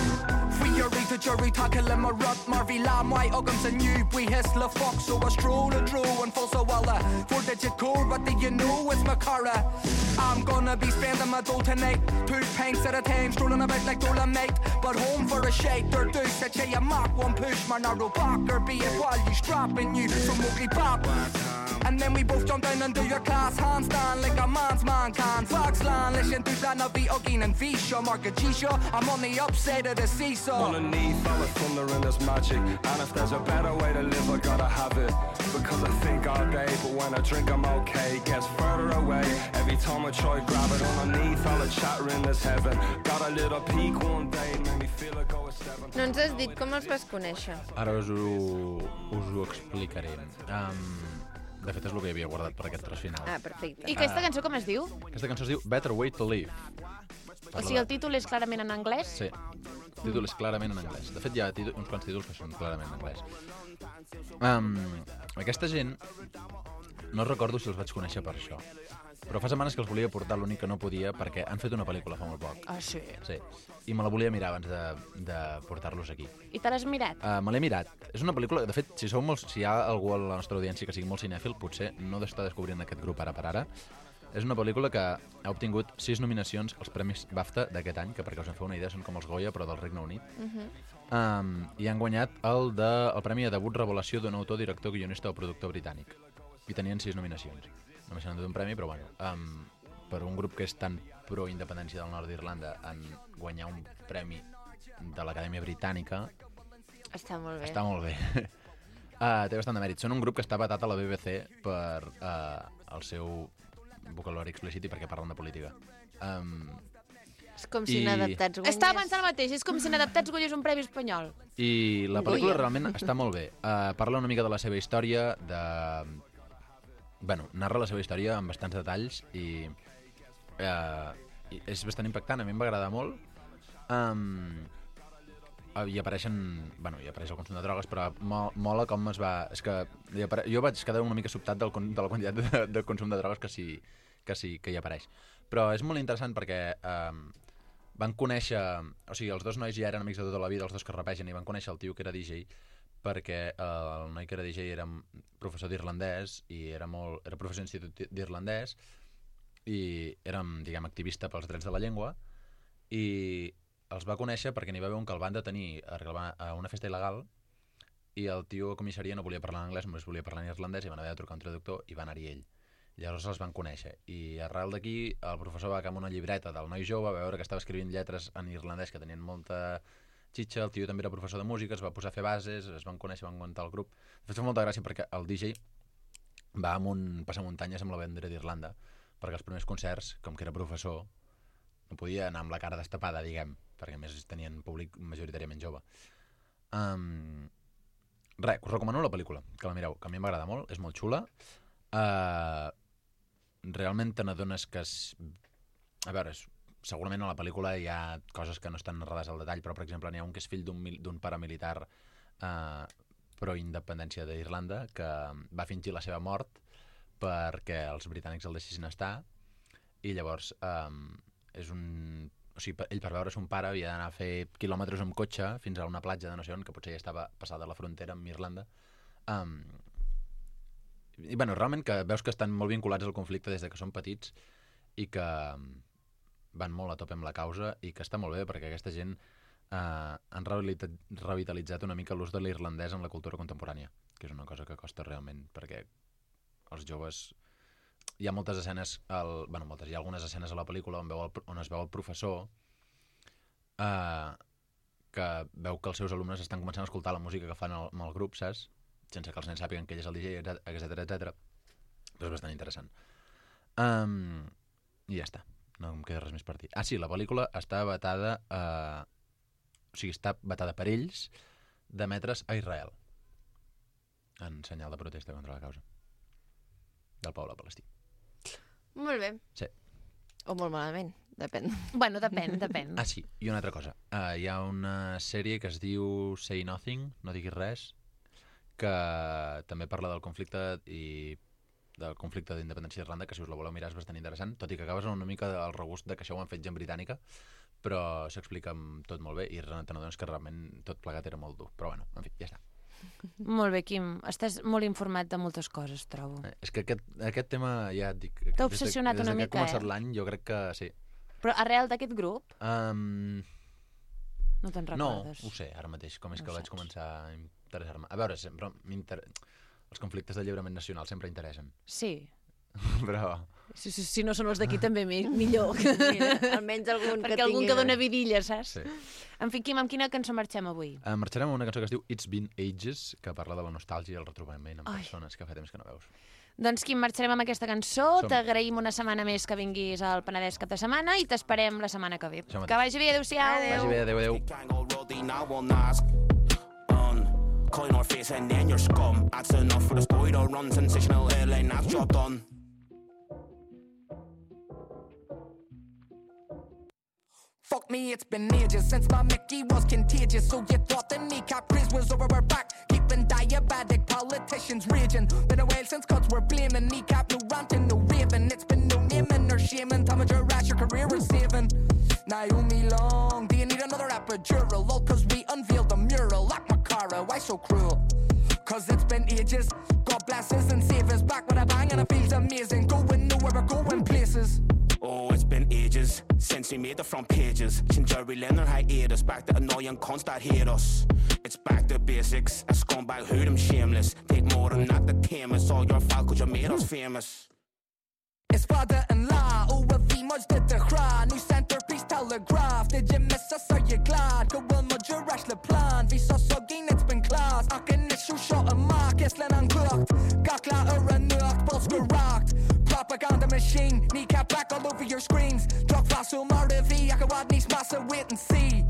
Free your read the jury tackle in my rut Marvy Lamb white Uggams and you we hiss la fox so I stroll and drew and full so well 4-digit code what do you know it's my car. I'm gonna be spending my dough tonight. 2 pints at a time, strolling about like Dolomite. But home for a shake, they're deuce. I tell you, mark one push, my narrow back, or be it while you strapping you from ugly pop. And then we both jump down and do your class handstand like a man's man can. Foxland, listen to that, I'll be Ugging and Visha, Mark a G-Show. I'm on the upside of the seesaw. Underneath all the thunder and there's magic, and if there's a better way to live, I gotta have it. Because I think all day, but when I drink I'm okay, gets further away every time I try grab it. Underneath all the chattering there's heaven, got a little peak one day, made me feel I go a 7. No ens has dit com els vas conèixer. Ara us ho explicaré. De fet, és el que havia guardat per aquest tros final. Ah, perfecte. I aquesta cançó com es diu? Aquesta cançó es diu Better Way to Live. O sigui, el títol és clarament en anglès? Sí, el títol és clarament en anglès. De fet, hi ha uns quants títols que són clarament en anglès. Aquesta gent, no recordo si els vaig conèixer per això, però fa setmanes que els volia portar, l'únic que no podia, perquè han fet una pel·lícula fa molt poc. Ah, sí? Sí, i me la volia mirar abans de portar-los aquí. I te l'has mirat? Me l'he mirat. És una pel·lícula... De fet, si hi ha algú a la nostra audiència que sigui molt cinèfil, potser no està descobrint aquest grup ara per ara. És una pel·lícula que ha obtingut 6 nominacions als Premis BAFTA d'aquest any, que perquè us en feu una idea són com els Goya, però del Regne Unit. I han guanyat el Premi de Debut Revelació d'un autor, director, guionista o productor britànic. I tenien 6 nominacions. Només s'han donat un premi, però bueno, per un grup que és tan pro-independència del nord d'Irlanda en guanyar un premi de l'Acadèmia Britànica... Està molt bé. Està molt bé. Té bastant de mèrit. Són un grup que està batat a la BBC per el seu vocabulari explícit i perquè parlen de política. És com si Inadaptats guanyés... Estava pensant el mateix, és com si Inadaptats guanyés un premi espanyol. I la pel·lícula realment està molt bé. Parla una mica de la seva història, narra la seva història amb bastants detalls i és bastant impactant, a mi em va agradar molt. Hi apareix el consum de drogues, però mola com es va... És que jo vaig quedar una mica sobtat de la quantitat de consum de drogues que hi apareix. Però és molt interessant perquè van conèixer... O sigui, els dos nois ja eren amics de tota la vida, els dos que rapegen, i van conèixer el tio que era DJ, perquè el noi que era DJ era professor d'irlandès i era professor d'institut d'irlandès i era, diguem, activista pels drets de la llengua, i els va conèixer perquè n'hi va haver un que el van detenir a una festa il·legal i el tio a comissaria no volia parlar en anglès, només volia parlar en irlandès, i van haver de trucar un traductor i va anar-hi ell. Llavors els van conèixer i arrel d'aquí el professor va agafar una llibreta del noi jove, va veure que estava escrivint lletres en irlandès que tenien molta xitxa, el tio també era professor de música, es va posar a fer bases, es van conèixer, van muntar el grup. De fet, fa molta gràcia perquè el DJ va amb un passamuntanyes amb la bandera d'Irlanda, perquè els primers concerts, com que era professor, no podia anar amb la cara destapada, diguem, perquè a més tenien públic majoritàriament jove. Res, us recomano la pel·lícula, que la mireu, que a mi m'agrada molt, és molt xula. Realment te n'adones que... A veure, segurament a la pel·lícula hi ha coses que no estan narrades al detall, però, per exemple, n'hi ha un que és fill d'un paramilitar pro-independència d'Irlanda que va fingir la seva mort perquè els britànics el deixessin estar, i llavors és un... O sigui, ell per veure son pare havia d'anar a fer quilòmetres amb cotxe fins a una platja de no sé on, que potser ja estava passada la frontera amb Irlanda. I, bueno, realment que veus que estan molt vinculats al conflicte des de que són petits i que van molt a tope amb la causa i que està molt bé perquè aquesta gent han revitalitzat una mica l'ús de l'irlandès en la cultura contemporània, que és una cosa que costa realment, perquè els joves... Hi ha moltes escenes, hi ha algunes escenes a la pel·lícula on es veu el professor que veu que els seus alumnes estan començant a escoltar la música que fan amb el grup, saps? Sense que els nens sàpiguen que ell és el DJ, etc. Però és bastant interessant. I ja està. No em queda res més per dir. Ah, sí, la pel·lícula està vetada està vetada per ells d'emetre's a Israel en senyal de protesta contra la causa del poble palestí. Molt bé. Sí. O molt malament, depèn. Bueno, depèn. Ah, sí, i una altra cosa. Hi ha una sèrie que es diu Say Nothing, no diguis res, que també parla del conflicte d'independència d'Irlanda, que si us la voleu mirar és bastant interessant, tot i que acabes amb una mica del regust de que això ho han fet gent britànica, però s'explica tot molt bé i te n'adones que realment tot plegat era molt dur. Però bueno, en fi, ja està. Molt bé, Quim. Estàs molt informat de moltes coses, trobo. És que aquest tema, ja et dic... T'ha obsessionat una mica, Des que ha començat l'any, jo crec que sí. Però arrel d'aquest grup? No te'n No, recordes? ho sé, ara mateix, com és que vaig començar a interessar-me. A veure, sempre els conflictes d'alliberament nacional sempre interessen. Sí. Però... Si no són els d'aquí també millor. Mira, almenys algun que perquè algun que dona vidilla, saps? Sí. En fi, Quim, amb quina cançó marxem avui? Marxarem amb una cançó que es diu It's Been Ages, que parla de la nostàlgia i el retrobament amb persones que fa temps que no veus. Doncs, Quim, marxarem amb aquesta cançó. T'agraïm una setmana més que vinguis al Penedès cap de setmana i t'esperem la setmana que ve. Que vagi bé, adéu-siau. Vagi bé, adéu. Coin our face and then your scum. That's enough for the spoiler run. Sensational headline, that's job done. Fuck me, it's been ages since my Mickey was contagious. So you thought the kneecap craze was over our back, keeping diabetic politicians raging. Been a while since cuts were blaming kneecap, no ranting, no raving. It's been no naming or shaming. Time of your rash, your career is saving. Naomi Long, do you need another epidural? All cause we unveiled the mural. Like Macara, why so cruel? Cause it's been ages. God bless us and save us. Back with a bang and it feels amazing. Going nowhere, we're going places. Oh, it's been ages since we made the front pages. Since Jerry Leonard hiatus, back to annoying cunts that hate us. It's back to basics. A scumbag who them shameless. Take more than that to tame us. All your fault cause you made us famous. It's father-in-law, over the much did the cry. New centerpiece telegraph. Did you miss us? Are you glad? Go well, mud your rash the plan. Vi så sugging, it's been class. I can issue shot a mark, it's len uncooked. Gakla or a nuke, balls were rocked. Propaganda machine, kneecap back all over your screens. Drop fossil Martivy, I can watch these massive wait and see.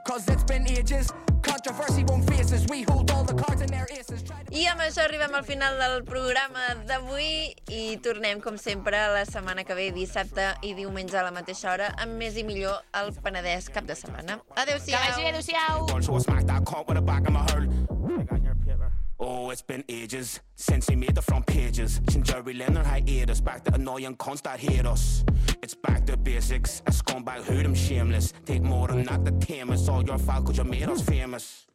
Cause it's been ages, controversy won't face us. We hold all the cards in their aces. I amb això arribem al final del programa d'avui i tornem, com sempre, la setmana que ve, dissabte i diumenge a la mateixa hora, amb més i millor al Penedès cap de setmana. Adéu-siau! Que vagi bé, adéu-siau! Oh, it's been ages since we made the front pages. Since Jerry Leonard hiatus, back to annoying cunts that hate us. It's back to basics. A scumbag who them shameless. Take more than that to tame us. All your fault cause you made us famous.